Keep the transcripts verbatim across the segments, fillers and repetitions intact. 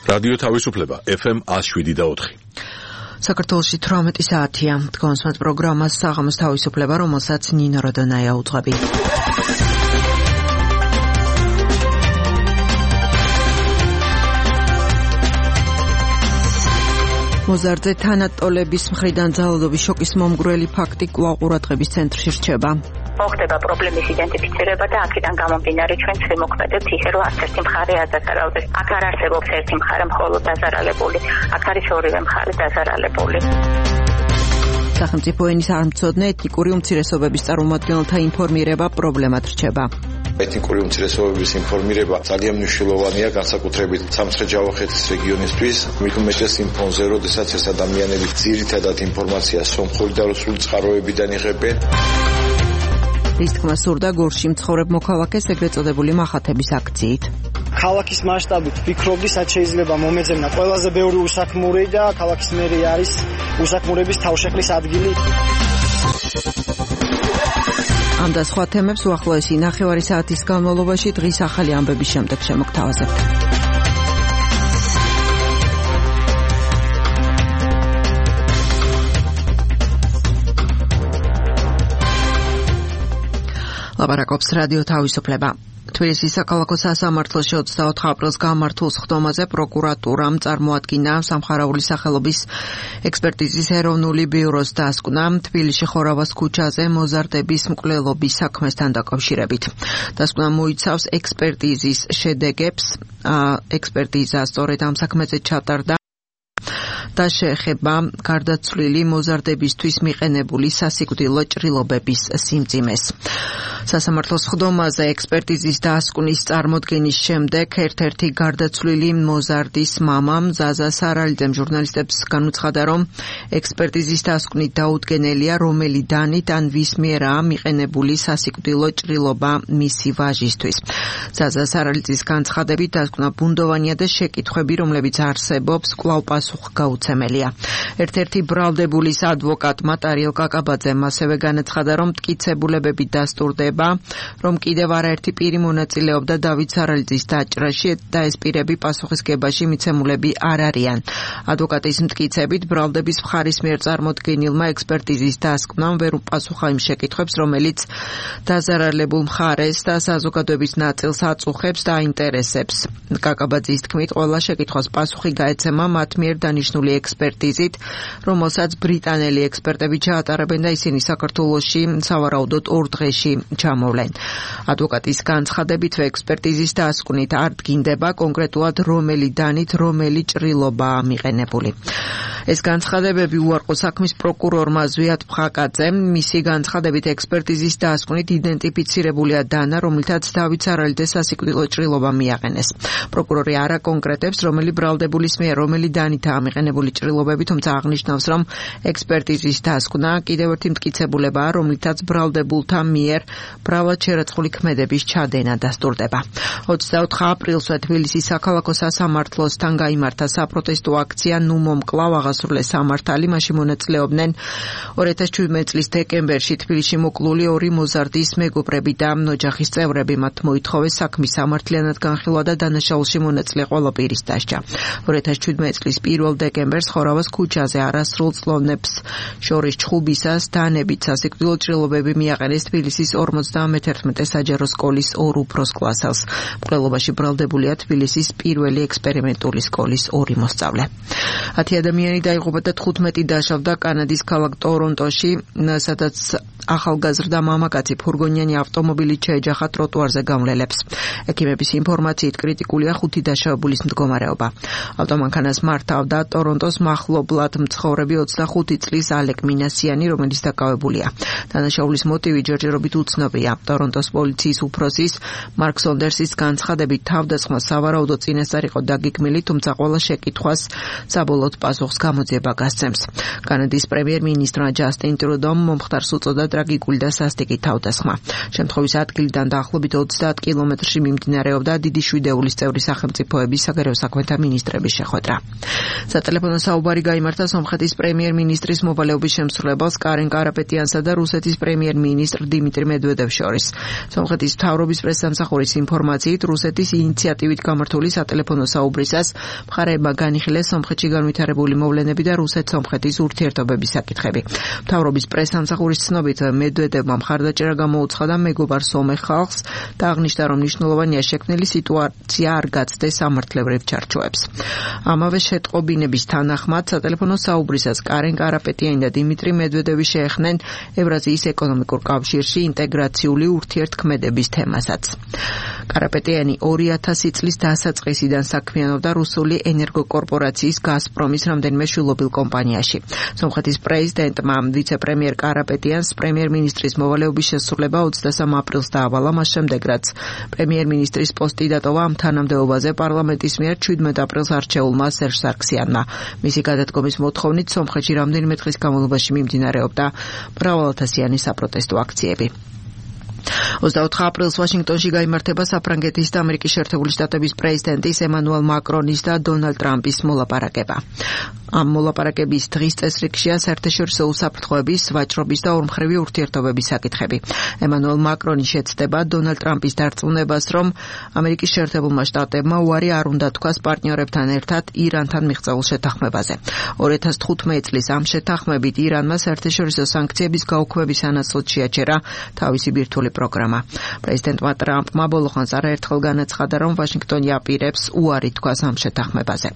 რადიო თავისუფლება ეფ ემ one oh seven და four. საქართველოში თვრამეტი საათია. Თქვენს პროგრამას საღამოს თავისუფლება, რომელსაც ნინო როდონაია უძღვები. მოზარდზე თანატოლების მხრიდან ძალადობის შოკის მომგვრელი ფაქტი კვლავ ყურადღების ცენტრში რჩება. მოხდება პრობლემის იდენტიფიცირება და აქედან გამომდინარე ჩვენც ვიმოქმედებთ ისე, რომ არც ერთი მხარე არ დაზარალდეს. აქ არ არსებობს ერთი მხარე მხოლოდ დაზარალებული, აქ არის ორივე მხარე დაზარალებული. სახელმწიფო ენის არმცოდნე ეთნიკური უმცირესობების წარმომადგენელთა ინფორმირება პრობლემად რჩება. ეთნიკური უმცირესობების ინფორმირება ძალიან მნიშვნელოვანია, განსაკუთრებით სამცხე-ჯავახეთის რეგიონისთვის, მით უმეტეს იმ ფონზე, როდესაც ეს ადამიანები ძირითადად ინფორმაციას სომხური და რუსული წყაროებიდან იღებენ. ის თქმა სურდა გორში მცხოვრებ მოქალაქეს ეგრეთ წოდებული მახათების აქციით. ქალაქის მასშტაბით ვფიქრობდი, სად შეიძლება მომეძებნა ყველაზე ბევრი უსაქმური და ქალაქის მერი არის უსაქმურების თავშეყრის ადგილი. ამ და სხვა თემებს უახლოესი ნახევარი საათის განმავლობაში დღის ახალი ამბების შემდეგ შემოგთავაზებთ. ლაპარაკობს რადიო თავისუფლება. თბილისის საქალაქო სასამართლოში ოცდაოთხ აპრილს გამართულ სხდომაზე პროკურატურამ წარმოადგინა სამხარაული სახელობის ექსპერტიზის ეროვნული ბიუროს დასკვნა თბილისში ხორავას ქუჩაზე მოზარდების მკვლელობის საქმესთან დაკავშირებით. დასკვნა მოიცავს ექსპერტიზის შედეგებს, ექსპერტიზა სწორედ ამ საქმეზე ჩატარდა და შეეხება გარდაცვლილი მოზარდებისთვის მიყენებული სასიკვდილო ჭრილობების სიმძიმეს. სასამართლოს სხდომაზე ექსპერტიზის დასკვნის წარმოდგენის შემდეგ ერთ-ერთი გარდაცვლილი მოზარდის მამამ ზაზა სარალიძემ ჟურნალისტებს განუცხადა, რომ ექსპერტიზის დასკვნით დაუდგენელია, რომელი დანით ან ვის მიერაა მიყენებული სასიკვდილო ჭრილობა მისი ვაჟისთვის. ზაზა სარალიძის განცხადებით დასკვნა ბუნდოვანია და შეკითხვები, რომლებიც არსებობს, კვლავ პასუხგაუცემელია. ერთ-ერთი ბრალდებულის ადვოკატმა ტარიელ კაკაბაძემ ასევე განაცხადა, რომ მტკიცებულებები დასტურდება, რომ კიდევ არაერთი პირი მონაწილეობდა დავით სარალიძის დაჭრაში და ეს პირები პასუხისგებაში მიცემულები არ არიან. ადვოკატის მტკიცებით, ბრალდების მხარის მიერ წარმოდგენილმა ექსპერტიზის დასკვნამ ვერ უპასუხა იმ შეკითხვებს, რომელიც დაზარალებულ მხარეს და საზოგადოების ნაწილს აწუხებს და აინტერესებს. კაკაბაძის თქმით, ყველა შეკითხვას პასუხი გაეცემა მათ მიერ დანიშნული ექსპერტიზით, რომელსაც ბრიტანელი ექსპერტები ჩაატარებენ და ისინი საქართველოში სავარაუდოდ ორ დღეში ჩამოვლენ. ადვოკატის განცხადებით, ექსპერტიზის დასკვნით არ დგინდება კონკრეტულად რომელი დანით რომელი ჭრილობაა მიყენებული. ეს განცხადებები უარყო საქმის პროკურორმა ზვიად ფხაკაძემ. მისი განცხადებით, ექსპერტიზის დასკვნით იდენტიფიცირებულია დანა, რომლითაც დავით სარალიძეს სასიკვდილო ჭრილობა მიაყენეს. პროკურორი არ აკონკრეტებს, რომელი ბრალდებულის მიერ რომელი დანითაა მიყენებული ჭრილობები, თუმცა აღნიშნავს, რომ ექსპერტიზის დასკვნა კიდევ ერთი მტკიცებულებაა, რომლითაც ბრალდებულთა მიერ ბრავად შერაცხული ქმედების ჩადენა დასტურდება. ოცდაოთხ აპრილს თბილისის საქალაქო სასამართლოსთან გაიმართა საპროტესტო აქცია ნუ მომკლავ აღასრულეს სამართალი. მაშინ მონაწილეობდნენ ორი ათას შვიდმეტი წლის დეკემბერში თბილისში მოკლული ორი მოზარდის მეგობრები და ოჯახის წევრები. მათ მოითხოვეს საქმის სამართლიანად განხილვა და დანაშაულში მონაწილე ყველა პირის დასჯა. ორი ათას შვიდმეტი წლის პირველ დეკემბერს ხორავას ქუჩაზე არასრულ წლოვნებს შორის ჩხუბისას დანებით სასიკვდილო ჭრილობები მიაყენეს თბილისის ორმოცდამეთერთმეტე საჯარო სკოლის ორ უფროს კლასელს. მკვლელობაში ბრალდებულია თბილისის პირველი ექსპერიმენტული სკოლის ორი მოსწავლე. ათი ადამიანი დაიღუპა და თხუთმეტი დაშავდა კანადის ქალაქ ტორონტოში, სადაც ახალგაზრდა მამაკაცი ფურგონიანი ავტომობილით შეეჯახა ტროტუარზე გამლელებს. ექიმების ინფორმაციით კრიტიკულია ხუთი დაშავებულის მდგომარეობა. ავტომანქანას მართავდა ტორონტოს მახლობლად მცხოვრები ოცდახუთი წლის ალეკ მინასიანი, რომელიც დაკავებულია. დანაშაულის მოტივი ჯერჯერობით უცნობია. ტორონტოს პოლიციის უფროსის მარკ სონდერსის განცხადებით, თავდასხმა სავარაუდოდ წინასწარ იყო დაგეგმილი, თუმცა ყველა შეკითხვას საბოლოოდ პასუხს გამოძიება გასცემს. კანადის პრემიერ-მინისტრმა ჯასტინ ტრუდომ მომხდარს უწოდა ტრაგიკული და სასტიკი თავდასხმა. შემთხვევის ადგილიდან დაახლოებით ოცდაათ კილომეტრში მიმდინარეობდა დიდი შვიდეულის წევრი სახელმწიფოების საგარეო საქმეთა მინისტრების შეხვედრა. სატელეფონო საუბარი გაიმართა სომხეთის პრემიერ-მინისტრის მოვალეობის შემსრულებელს კარენ კარაპეტიანსა და რუსეთის პრემიერ-მინისტრ დიმიტრი მედვედევს მედვედევს შორის. სომხეთის მთავრობის პრესსამსახურის ინფორმაციით, რუსეთის ინიციატივით გამართული სატელეფონო საუბრისას მხარეებმა განიხილეს სომხეთში განვითარებული მოვლენები და რუსეთ-სომხეთის ურთიერთობების საკითხები. მთავრობის პრესსამსახურის ცნობით, მედვედევმა მხარდაჭერა გამოუცხადა და მეგობარ სომეხ ხალხს და აღნიშნა, რომ მნიშვნელოვანია შექმნილი სიტუაცია არ გაცდეს სამართლებრივ ჩარჩოებს. ამავე შეტყობინების თანახმად, სატელეფონო საუბრისას კარენ კარაპეტიანი და დიმიტრი მედვედევი შეეხნენ ევრაზიის ეკონომიკურ კავშირში ინტეგრაციული ურთიერთქმედების თემასაც. კარაპეტიანი ორი ათასი წლის დასაწყისიდან საქმიანობდა რუსული ენერგოკორპორაციის გაზპრომის რამდენიმე შვილობილ კომპანიაში. სომხეთის პრეზიდენტმა ვიცე-პრემიერ კარაპეტიანს პრემიერ-მინისტრის მოვალეობის შესრულება ოცდასამ აპრილს დაავალა, მას შემდეგ რაც პრემიერ-მინისტრის პოსტი დატოვა ამ თანამდებობაზე პარლამენტის მიერ შვიდმეტ აპრილს არჩეულმა სერჟ სარქსიანმა. მისი გადადგომის მოთხოვნით სომხეთში რამდენიმე დღის განმავლობაში მიმდინარეობდა მრავალათასიანი საპროტესტო აქციები. ოცდაოთხ აპრილს ვაშინგტონში გაიმართება საფრანგეთის და ამერიკის შეერთებული შტატების პრეზიდენტის ემანუელ მაკრონის და დონალდ ტრამპის მოლაპარაკება. ამ მოლაპარაკების დღის წესრიგშია საერთაშორისო უსაფრთხოების, ვაჭრობის და ორმხრივი ურთიერთობების საკითხები. ემანუელ მაკრონი შეცდება დონალდ ტრამპის დარწმუნებას, რომ ამერიკის შეერთებულმა შტატებმა უარი არ უნდა თქვას პარტნიორებთან ერთად ირანთან მიღწეულ შეთანხმებაზე. ორი ათას თხუთმეტი წლის ამ შეთანხმებით ირანმა საერთაშორისო სანქციების გაუქმების სანაცვლოდ შეაჩერა თავისი ბირთვული პროგრამა. პრეზიდენტმა ტრამპმა ბოლოხანს არაერთხელ განაცხადა, რომ ვაშინგტონი აპირებს უარი თქვას ამ შეთანხმებაზე.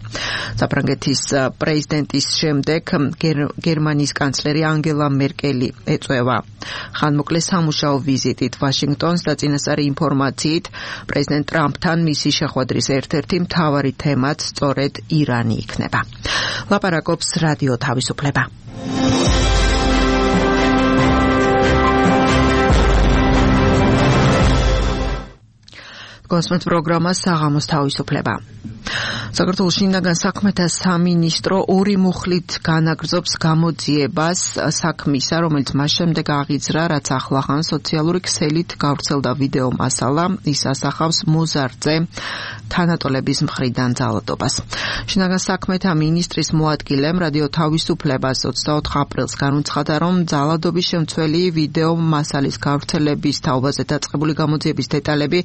საფრანგეთის პრეზიდენტის შემდეგ გერმანიის კანცლერი ანგელა მერკელი ეწევა ხანმოკლე სამუშაო ვიზიტით ვაშინგტონს და წინასწარი ინფორმაციით პრეზიდენტ ტრამპთან მისი შეხვედრის ერთ-ერთი მთავარი თემაც სწორედ ირანი იქნება. ლაპარაკობს რადიო თავისუფლება. კოსმოს პროგრამა საღამოს თავისუფლება. საქართველოს შინაგან საქმეთა სამინისტრო ორი მუხლით განაგრძობს გამოძიებას საქმისა, რომელიც მას შემდეგ აღიძრა, რაც ახლახან სოციალური ქსელით გავრცელდა ვიდეო მასალა, ის ასახავს მოზარდზე თანატოლების მხრიდან ძალადობას. შინაგან საქმეთა მინისტრის მოადგილემ რადიო თავისუფლებას ოცდაოთხ აპრილს განუცხადა, რომ ძალადობის შემცველი ვიდეო მასალის გავრცელების თაობაზე დაწყებული გამოძიების დეტალები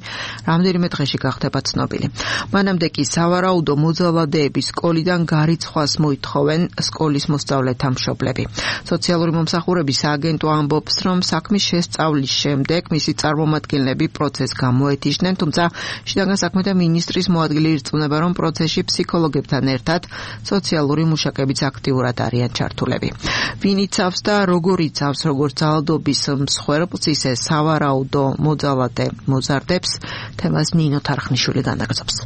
რამდენიმე დღეში გახდება ცნობილი. მანამდე კი სავარაუდო მოძალადეების სკოლიდან გარიცხვას მოითხოვენ სკოლის მოსწავლეთა მშობლები. სოციალური მომსახურების სააგენტო ამბობს, რომ საქმის შესწავლის შემდეგ მისი წარმომადგენლები პროცესს გამოეთიშნენ, თუმცა შინაგან საქმეთა მინისტრის მოადგილე ირწმუნება, რომ პროცესში ფსიქოლოგებთან ერთად სოციალური მუშაკებიც აქტიურად არიან ჩართულები. ვინ იცავს და როგორ იცავს როგორც ძალადობის მსხვერპლს, ისე სავარაუდო მოძალადე მოზარდებს, თემას ნინო თარხნიშვილი განაგრძობს.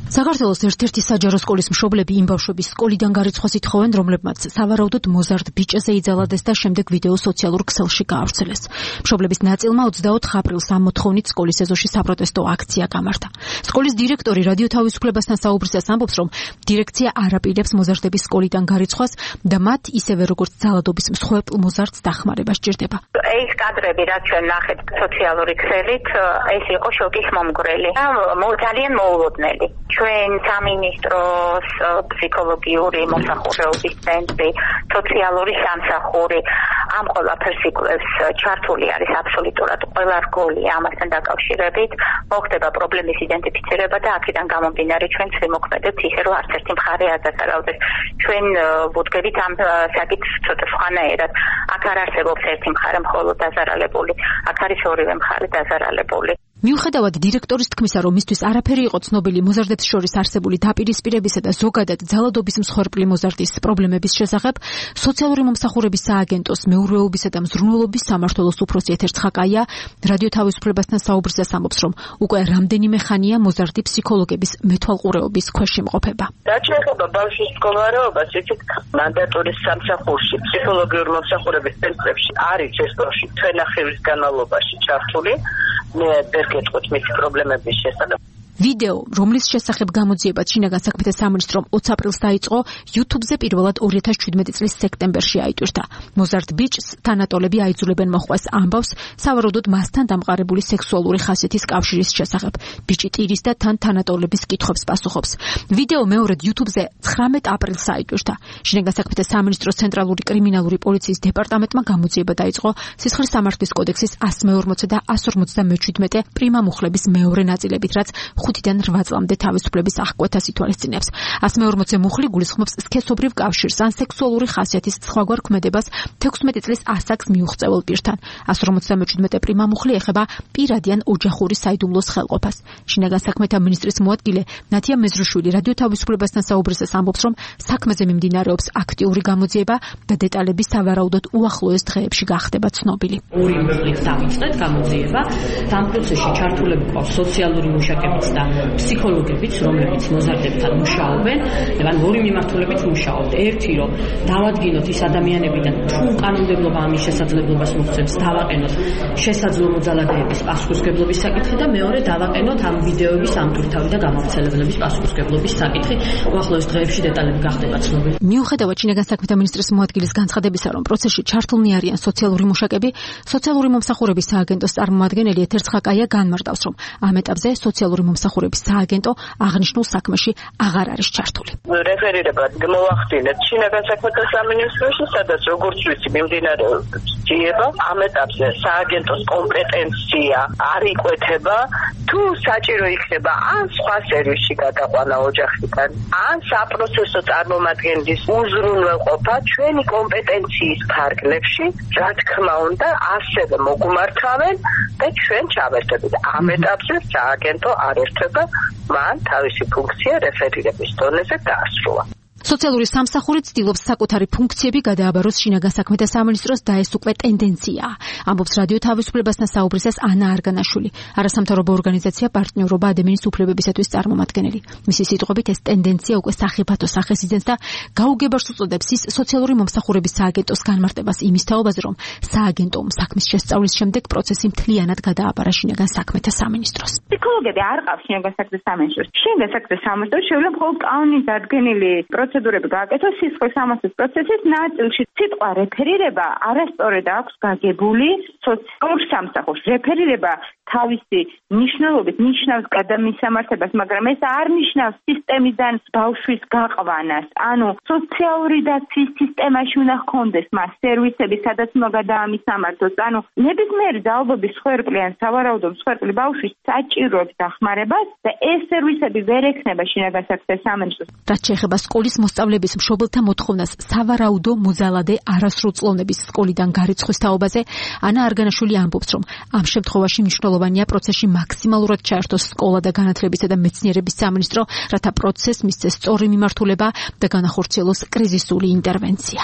საქართველოს ერთ-ერთი საჯარო სკოლის მშობლები იმ ბავშვების სკოლიდან გარიცხვას ითხოვენ, რომლებმაც სავარაუდოდ მოზარდ ბიჭზე იძალადეს და შემდეგ ვიდეო სოციალურ ქსელში გაავრცელეს. მშობლების ნაწილმა ოცდაოთხ აპრილს ამ მოთხოვნით სკოლის ეზოში საპროტესტო აქცია გამართა. სკოლის დირექტორი რადიო თავისუფლებასთან საუბრისას ამბობს, რომ დირექცია არ აპირებს მოზარდების სკოლიდან გარიცხვას და მათ ისევე როგორც ძალადობის მსხვერპლ მოზარდს დახმარება სჭირდება. ეს კადრები, რაც ჩვენ ნახეთ სოციალური ქსელით, ეს იყო შოკის მომგვრელი. ძალიან მოულოდნელი. ჩვენ სამინისტროს ფსიქოლოგიური მომსახურების ცენტრი, სოციალური სამსახური ამ ყველაფერს იკვლევს, ჩართული არის აბსოლუტურად ყველა რგოლი ამასთან დაკავშირებით, მოხდება პრობლემის იდენტიფიცირება და აქედან გამომდინარე ჩვენ ვიმოქმედებთ ისე, რომ არც ერთი მხარე არ დაზარალდეს. ჩვენ ვუდგებით ამ საკითხს ცოტა სხვანაირად. აქ არ არსებობს ერთი მხარე მხოლოდ დაზარალებული, აქ არის ორივე მხარე დაზარალებული. მიუხედავად დირექტორის თქმისა, რომ მისთვის არაფერი იყო ცნობილი მოზარდებს შორის არსებული დაპირისპირებისა და ზოგადად ძალადობის მსხვერპლი მოზარდის პრობლემების შესახებ, სოციალური მომსახურების სააგენტოს მეურვეობისა და მზრუნველობის სამმართველოს უფროსი ეთერ ცხაკაია რადიო თავისუფლებასთან საუბრისას ამბობს, რომ უკვე რამდენიმე ხანია მოზარდი ფსიქოლოგების მეთვალყურეობის ქვეშ იმყოფება. რაც შეეხება ბავშვის მდგომარეობას, იცით, მანდატური სამსახურში, ფსიქოლოგიური მომსახურების ცენტრებში არის ეს ბავშვი თვენახევრის განმავლობაში ჩართული. მე ვერ გეტყვით მისი პრობლემების შესახებ. ვიდეო, რომლის შესახებ გამოძიებაც შინაგან საქმეთა სამინისტრომ ოცი აპრილს დაიწყო, YouTube-ზე პირველად ორი ათას შვიდმეტი წლის სექტემბერში აიტვირთა. მოზარდ ბიჭს თანატოლები აიძულებენ მოხვას ამბავს, სავარაუდოდ მასთან დამყარებული სექსუალური ხასიათის კავშირის შესახებ. ბიჭი ტირის და თან თანატოლების კითხვებს პასუხობს. ვიდეო მეორედ YouTube-ზე ცხრამეტ აპრილს აიტვირთა. შინაგან საქმეთა სამინისტროს ცენტრალური კრიმინალური პოლიციის დეპარტამენტმა გამოძიება დაიწყო სისხლის სამართლის კოდექსის εκατს მეორმოცი და εκατს ორმოცდამეშვიდმეტე პრიმა მუხლების მეორე ნაწილებით, რაც ხუთიდან რვა წლამდე თავისუფლების აღკვეთას ითვალისწინებს. εκατს მეორმოცი მუხლი გულისხმობს სქესობრივ კავშირს ან სექსუალური ხასიათის სხვაგვარ ქმედებას თექვსმეტი წლის ასაკს მიუღწეულ პირთან. εκατს ორმოცდამეშვიდმეტე პრიმა მუხლი ეხება პირადი ან ოჯახური საიდუმლოს ხელყოფას. შინაგან საქმეთა მინისტრის მოადგილე ნათია მეზრუშვილი რადიო თავისუფლებასთან საუბრისას ამბობს, რომ საქმეზე მიმდინარეობს აქტიური გამოძიება და დეტალები სავარაუდოდ უახლოეს დღეებში გახდება ცნობილი. ორი მუხლით დავიწყეთ გამოძიება. ამ პროცესში ჩართულები ყავს სოციალური მუშაკებიც და ფსიქოლოგებიც, რომლებიც მოზარდებთან მუშაობენ. ან ორი მიმართულებით მუშაობთ. ერთი, რომ დავადგინოთ ის ადამიანებიდან თუ კანონმდებლობა ამის შესაძლებლობას მოხსენებს, დავაყენოთ შესაძლო მოძალადეების პასუხისმგებლობის საკითხი და მეორე დავაყენოთ ამ ვიდეოების ამტვირთავი და გამავრცელებლების პასუხისმგებლობის საკითხი. უახლოეს დღეებში დეტალები გახდება ცნობილი. მიუხედავად შინაგან საქმეთა მინისტრის მოადგილის განცხადებისა, რომ პროცესში ჩართულნი არიან სოციალური მუშაკები, სოციალური მომსახურების სააგენტოს წარმომადგენელი ეთერ ცხაკაია განმარტავს, რომ ამ ეტაპზე სოციალური მომსახურების სააგენტო აღნიშნულ საქმეში აღარ არის ჩართული. რეფერირებად მოვახდინეთ შინაგან საქმეთა სამინისტროში, სადაც როგორც ვიცი მიმდინარეობს ძიება. ამ ეტაპზე სააგენტოს კომპეტენცია არ იკვეთება, თუ საჭირო იქნება ან სხვა სერვისში გადაყვანა ოჯახიდან, ან საპროცესო წარმომადგენლის უზრუნველყოფა ჩვენი კომპეტენციის ფარგლებში, რა თქმა უნდა, ასევე მოგუმართავენ და ჩვენ ჩავერთებით. ამ ეტაპზე სააგენტო არ ერთვება, მან თავისი ფუნქცია რეფერირების დონეზე დაასრულა. სოციალური სამსახური ცდილობს საკუთარი ფუნქციები გადააბაროს შინაგან საქმეთა სამინისტროს და ეს უკვე ტენდენციაა. ამბობს რადიო თავისუფლებასთან საუბრისას ანა არგანაშვილი, არასამთავრობო ორგანიზაცია პარტნიორობა ადამიანის უფლებებისათვის წარმომადგენელი. მისი სიტყვებით ეს ტენდენცია უკვე სახიფათო სახეს იძენს და გაუგებარს უწოდებს ის სოციალური მომსახურების სააგენტოს განმარტებას იმის თაობაზე, რომ სააგენტომ საქმის შესწავლის შემდეგ პროცესი მთლიანად გადააბარა შინაგან საქმეთა სამინისტროს. ფსიქოლოგები არ ყავს შინაგან საქმეთა სამინისტროს. შინაგან საქმეთა სამინისტრო შეუძლია მხოლოდ კანონით დადგენილი პროცედურები გააკეთოს სისხლის სამართლის პროცესის ნაწილში. სიტყვა რეფერირება არასწორად აქვს გაგებული სოციალურ სამსახურს. რეფერირება თავისი მნიშვნელობით ნიშნავს გადამისამართებას, მაგრამ ეს არ ნიშნავს სისტემიდან ბავშვის გაყვანას. ანუ სოციალური დაცვის სისტემაში უნდა ჰქონდეს მას სერვისები, სადაც უნდა გადაამისამართოს. ანუ ნებისმიერი ძალადობის მსხვერპლი ან სავარაუდო მსხვერპლი ბავშვის საჭიროებს დახმარებას და ეს სერვისები ვერ ექნება შინაგან საქმეთა სამინისტროს. რაც შეეხება სკოლის მოსწავლეების მშობელთა მოთხოვნას სავარაუდო მოძალადე არასრულწლოვნების სკოლიდან გარიცხვის თაობაზე, ანა არგანაშვილი ამბობს, რომ ამ შემთხვევაში მნიშვნელოვანია პროცესში მაქსიმალურად ჩაერთოს სკოლა და განათლებისა და მეცნიერების სამინისტრო, რათა პროცესს მისცეს სწორი მიმართულება და განახორციელოს კრიზისული ინტერვენცია.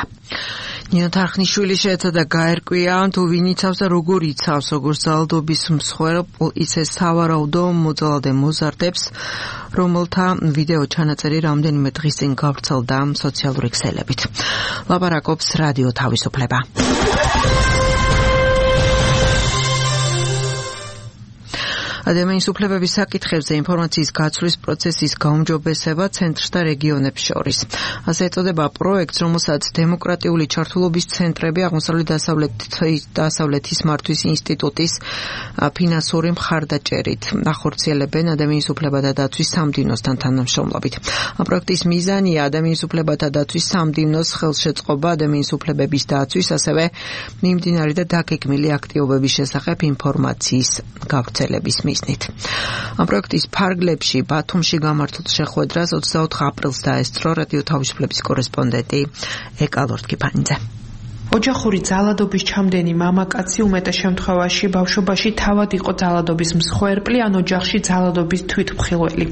ნინო თარხნიშვილი შეეცადა გაერკვია, თუ ვინ იცავს და როგორ იცავს, როგორც ძალადობის მსხვერპლ, ისე სავარაუდო მოძალადე მოზარდებს, რომელთა ვიდეო ჩანაწერი რამდენიმე დღის წინ გავრცელდა სოციალური ქსელებით. ლაპარაკობს რადიო თავისუფლება. ადამიანის უფლებების საკითხებზე ინფორმაციის გაცვლის პროცესის გაუმჯობესება ცენტრს და რეგიონებს შორის. ასე ეწოდება პროექტს, რომელსაც დემოკრატიული ჩართულობის ცენტრები აღმოსავლეთ დასავლეთის მართვის ინსტიტუტის ფინანსური მხარდაჭერით ახორციელებენ ადამიანის უფლებათა დაცვის სამდივნოსთან თანამშრომლობით. ამ პროექტის მიზანია ადამიანის უფლებათა დაცვის სამდივნოს ხელშეწყობა ადამიანის უფლებების დაცვის, ასევე მიმდინარე და დაგეგმილი აქტივობების შესახებ ინფორმაციის გავრცელების ამ პროექტის ფარგლებში ბათუმში გამართულ შეხვედრას ოცდაოთხ აპრილს დაესწრო რადიო თავისუფლების კორესპონდენტი ეკა ლორთქიფანიძე. ოჯახური ძალადობის ჩამდენი მამაკაცი უმეტეს შემთხვევაში ბავშვობაში თავად იყო ძალადობის მსხვერპლი ან ოჯახში ძალადობის თვითმხილველი.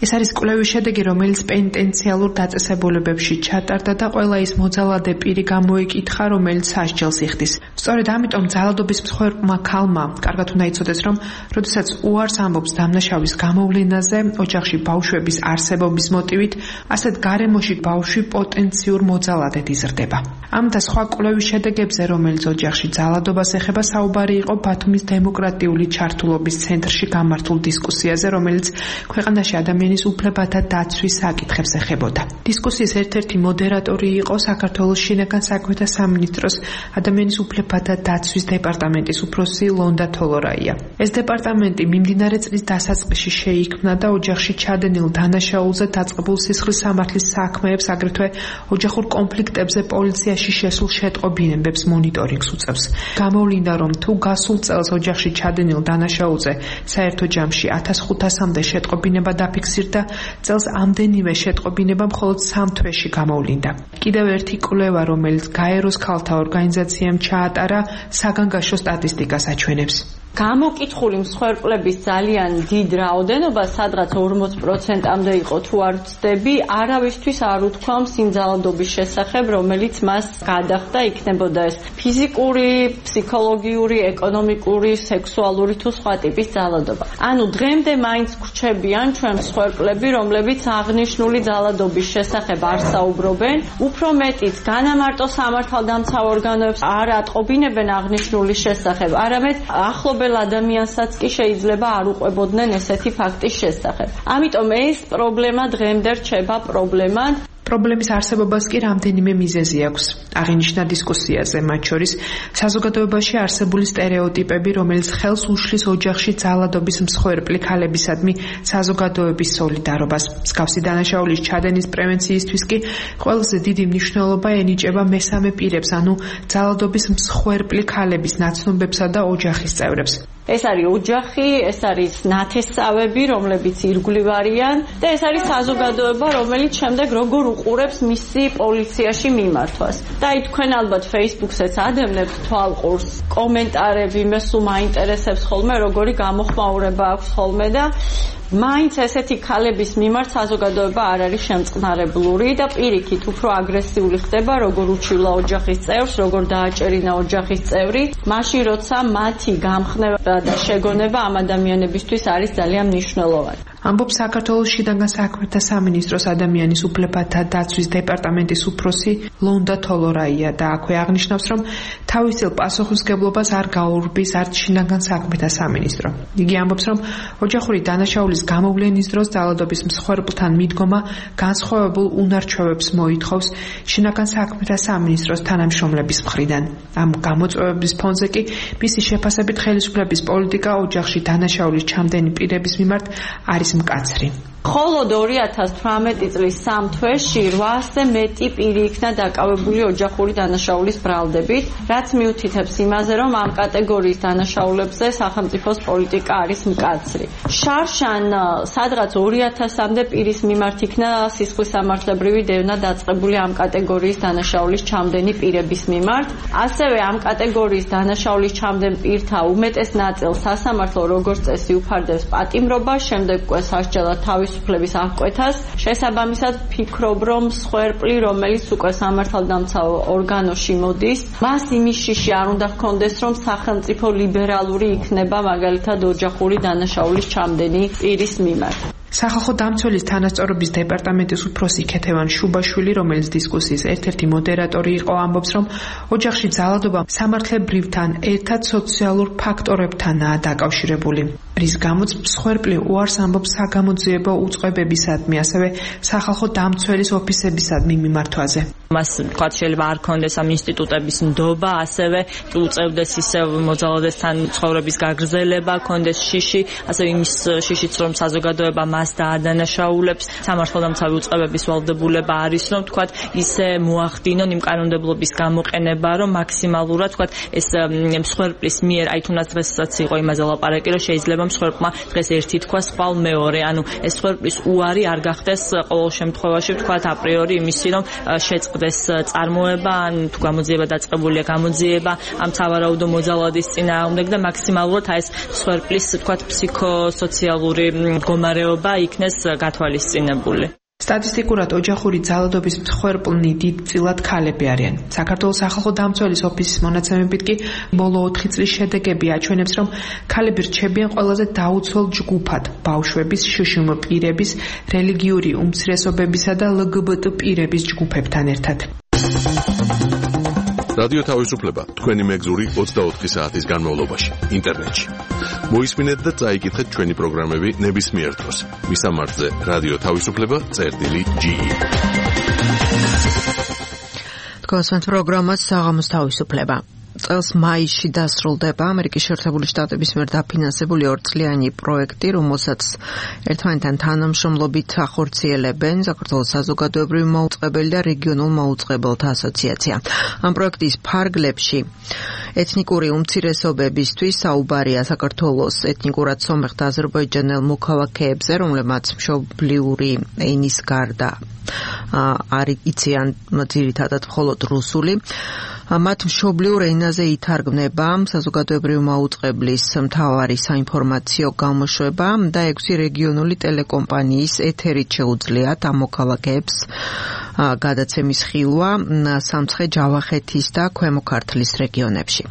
ეს არის კვლევის შედეგი, რომელიც პენიტენციალურ დაწესებულებებში ჩატარდა და ყველა ის მოძალადე პირი გამოიკითხა, რომელიც სასჯელს იხდის. სწორედ ამიტომ ძალადობის მსხვერპლმა ქალმა კარგად უნდა იცოდეს, რომ როდესაც უარს ამბობს დამნაშავის გამოვლენაზე, ოჯახში ბავშვების არსებობის მოტივით, ასეთ გარემოში ბავშვი პოტენციურ მოძალადედ იზრდება. ამ და სხვა კვლევების კვლევის შედეგებზე, რომელიც ოჯახში ძალადობას ეხება, საუბარი იყო ბათუმის დემოკრატიული ჩართულობის ცენტრში გამართულ დისკუსიაზე, რომელიც ქვეყანაში ადამიანის უფლებათა დაცვის საკითხებს ეხებოდა. დისკუსიის ერთ-ერთი მოდერატორი იყო საქართველოს შინაგან საქმეთა სამინისტროს ადამიანის უფლებათა დაცვის დეპარტამენტის უფროსი ლონდა თოლორაია. ეს დეპარტამენტი მიმდინარე წლის დასაწყისში შეიქმნა და ოჯახში ჩადენილ დანაშაულზე დაწყებულ სისხლის სამართლის საქმეებს, აგრეთვე ოჯახურ კონფლიქტებზე პოლიციაში შესულ შეტყობინებებს მონიტორინგს უწევს. გამოვლინდა, რომ თუ გასულ წელს ოჯახში ჩადენილ დანაშაულზე საერთო ჯამში ათას ხუთასამდე შეტყობინება დაფიქსირდა, წელს ამდენივე შეტყობინება მხოლოდ სამ თვეში გამოვლინდა. კიდევ ერთი კვლევა, რომელიც გაეროს ქალთა ორგანიზაციამ ჩაატარა, საგანგაშო სტატისტიკას აჩვენებს. გამოკითხული მსხვერპლების ძალიან დიდ რაოდენობა, სადღაც ორმოც პროცენტამდე იყო, თუ არ ვცდები, არავისთვის არ უთქვამს იმ ძალადობის შესახებ, რომელიც მას გადახდა, იქნებოდა ეს ფიზიკური, ფსიქოლოგიური, ეკონომიკური, სექსუალური თუ სხვა ტიპის ძალადობა. ანუ დღემდე მაინც გრჩებიან ჩვენ მსხვერპლები, რომლებიც აღნიშნული ძალადობის შესახებ არ საუბრობენ, უფრო მეტიც განამარტო სამართალდამცავ ორგანოებს არ ატყობინებენ აღნიშნული შესახებ, არამედ ახლობელ ადამიანსაც კი შეიძლება არ უყვებოდნენ ესეთი ფაქტის შესახებ. ამიტომ ეს პრობლემა დღემდე რჩება პრობლემად. პრობლემის არსებობას კი რამდენიმე მიზეზი აქვს. აღინიშნა დისკუსიაზე, მათ შორის საზოგადოებაში არსებული სტერეოტიპები, რომელიც ხელს უშლის ოჯახში ძალადობის მსხვერპლი ქალებისადმი საზოგადოების სოლიდარობას. მსგავსი დანაშაულის ჩადენის პრევენციისთვის კი ყველაზე დიდი მნიშვნელობა ენიჭება მესამე პირებს, ანუ ძალადობის მსხვერპლი ქალების ნაცნობებსა და ოჯახის წევრებს. ეს არის ოჯახი, ეს არის ნათესავები, რომლებიც ირგვლივ არიან და ეს არის საზოგადოება, რომელიც შემდეგ როგორ უყურებს მისი პოლიციაში მიმართვას. და აი თქვენ ალბათ Facebook-საც ადევნებთ თვალყურს, კომენტარები მე სულ მაინტერესებს ხოლმე, როგორი გამოხმაურება აქვს ხოლმე და მაინც ესეთი ქალების მიმართ საზოგადოება არ არის შემწყნარებლური და პირიქით უფრო აგრესიული ხდება, როგორ უჩივლა ოჯახის წევრს, როგორ დააჭერინა ოჯახის წევრი, მაშინ როცა მათი გამხნევა და შეგონება ამ ადამიანებისთვის არის ძალიან მნიშვნელოვანი. ამბობს საქართველოს შინაგან საქმეთა სამინისტროს ადამიანის უფლებათა დაცვის დეპარტამენტის უფროსი ლონდა თოლორაია და აქვე აღნიშნავს, რომ თავისელ პასუხისმგებლობას არ გაურბის არც შინაგან საქმეთა სამინისტრო. იგი ამბობს, რომ ოჯახური დანაშაულის გამოვლენის დროს ძალადობის მსხვერპლთან მიდგომა განსხვავებულ უნარჩვევებს მოითხოვს შინაგან საქმეთა სამინისტროს თანამშრომლების მხრიდან. ამ გამოწვევების ფონზე კი მისი შეფასებით ხელისუფლების პოლიტიკა ოჯახში დანაშაულის ჩამდენი პირების მიმართ არის მკაცრი. მხოლოდ ორი ათას თვრამეტი წლის სამ თვეში რვაასზე მეტი პირი იქნა დაკავებული ოჯახური დანაშაულის ბრალდებით, რაც მიუთითებს იმაზე, რომ ამ კატეგორიის დანაშაულებზე სახელმწიფოს პოლიტიკა არის მკაცრი. შარშან სადღაც ორი ათასამდე პირის მიმართ იქნა სისხლის სამართლებრივი დევნა დაწყებული ამ კატეგორიის დანაშაულის ჩამდენი პირების მიმართ. ასევე ამ კატეგორიის დანაშაულის ჩამდენ პირთა უმეტეს ნაწილს სასამართლო როგორც წესი უფარდებს პატიმრობას, შემდეგ უკვე სასჯელად თავის უფლების აღკვეთას. შესაბამისად ვფიქრობ, რომ მსხვერპლი, რომელიც უკვე სამართალდამცავ ორგანოში მოდის, მას იმის შიში არ უნდა ჰქონდეს, რომ სახელმწიფო ლიბერალური იქნება მაგალითად ოჯახური დანაშაულის ჩამდენი პირის მიმართ. სახალხო დამცველის თანასწორობის დეპარტამენტის უფროსი ქეთევან შუბაშვილი, რომელიც დისკუსიის ერთ-ერთი მოდერატორი იყო, ამბობს, რომ ოჯახში ძალადობა სამართლებრივთან ერთად სოციალურ ფაქტორებთანაა დაკავშირებული, რის გამოც მსხვერპლი უარს ამბობს საგამოძიებო უწყებებისადმი, ასევე სახალხო დამცველის ოფისებისადმი მიმართვაზე. მას თქვა შეიძლება არ ქონდეს ამ ინსტიტუტების ნდობა, ასევე უწევდეს ისევ მოძალადესთან ცხოვრების გაგრძელება, ქონდეს შიში, ასევე იმის შიშიც, რომ საზოგადოება მას დაადანაშაულებს, სამართალდამცავი უწყებების ვალდებულება არის, რომ თქვა ისე მოახდინონ იმ კანონმდებლობის გამოყენება, რომ მაქსიმალურად თქვა ეს მსხვერპლის მიერ, აი თუნდაც დღესაც იყო იმაზე ლაპარაკი, რომ შეიძლება მსხვერპლმა დღეს ერთი თქვა, სხვალ მეორე, ანუ ეს მსხვერპლის უარი არ გახდეს ყოველ შემთხვევაში თქვა აპრიორი იმისი, რომ შეწყდეს წარმოება, ან თუ გამოძიება დაწყებულია გამოძიება ამ სავარაუდო მოძალადის წინააღმდეგ და მაქსიმალურად ეს მსხვერპლის თქვა ფსიქოსოციალური მდგომარეობა იქნეს გათვალისწინებული. სტატისტიკურად ოჯახური ძალადობის მსხვერპლნი დიდწილად ქალები არიან. საქართველოს სახალხო დამცველის ოფისის მონაცემებით კი ბოლო ოთხი წლის შედეგები აჩვენებს, რომ ქალები რჩებიან ყველაზე დაუცველ ჯგუფად ბავშვების, შშმ პირების, რელიგიური უმცირესობებისა და ლგბტ პირების ჯგუფებთან ერთად. რადიო თავისუფლება თქვენი მეგზური ოცდაოთხი საათის განმავლობაში ინტერნეტში. მოისმინეთ და წაიკითხეთ ჩვენი პროგრამები ნებისმიერ დროს. მისამართზე რადიო თავისუფლება წერტილი ჯი. თქვენს პროგრამას საღამოს თავისუფლება. წელს მაისში დასრულდება ამერიკის შეერთებული შტატების მიერ დაფინანსებული ორწლიანი პროექტი, რომელსაც ერთმანეთთან თანამშრომლობით ახორციელებენ საქართველოს საზოგადოებრივი მაუწყებელი და რეგიონულ მაუწყებელთა ასოციაცია. ამ პროექტის ფარგლებში ეთნიკური უმცირესობებისთვის საუბარია საქართველოს ეთნიკურად სომეხ და აზერბაიჯანელ მოქალაქეებზე, რომლებმაც მშობლიური ენის გარდა არ იციან ძირითადად მხოლოდ რუსული. მათ მშობლიურ ენაზე ითარგმნება საზოგადოებრივი მაუწყებლის მთავარი საინფორმაციო გამოშვება და ექვსი რეგიონული ტელეკომპანიის ეთერით შეუძლიათ ამ მოქალაქეებს გადაცემის ხილვა სამცხე-ჯავახეთის და ქვემო ქართლის რეგიონებში.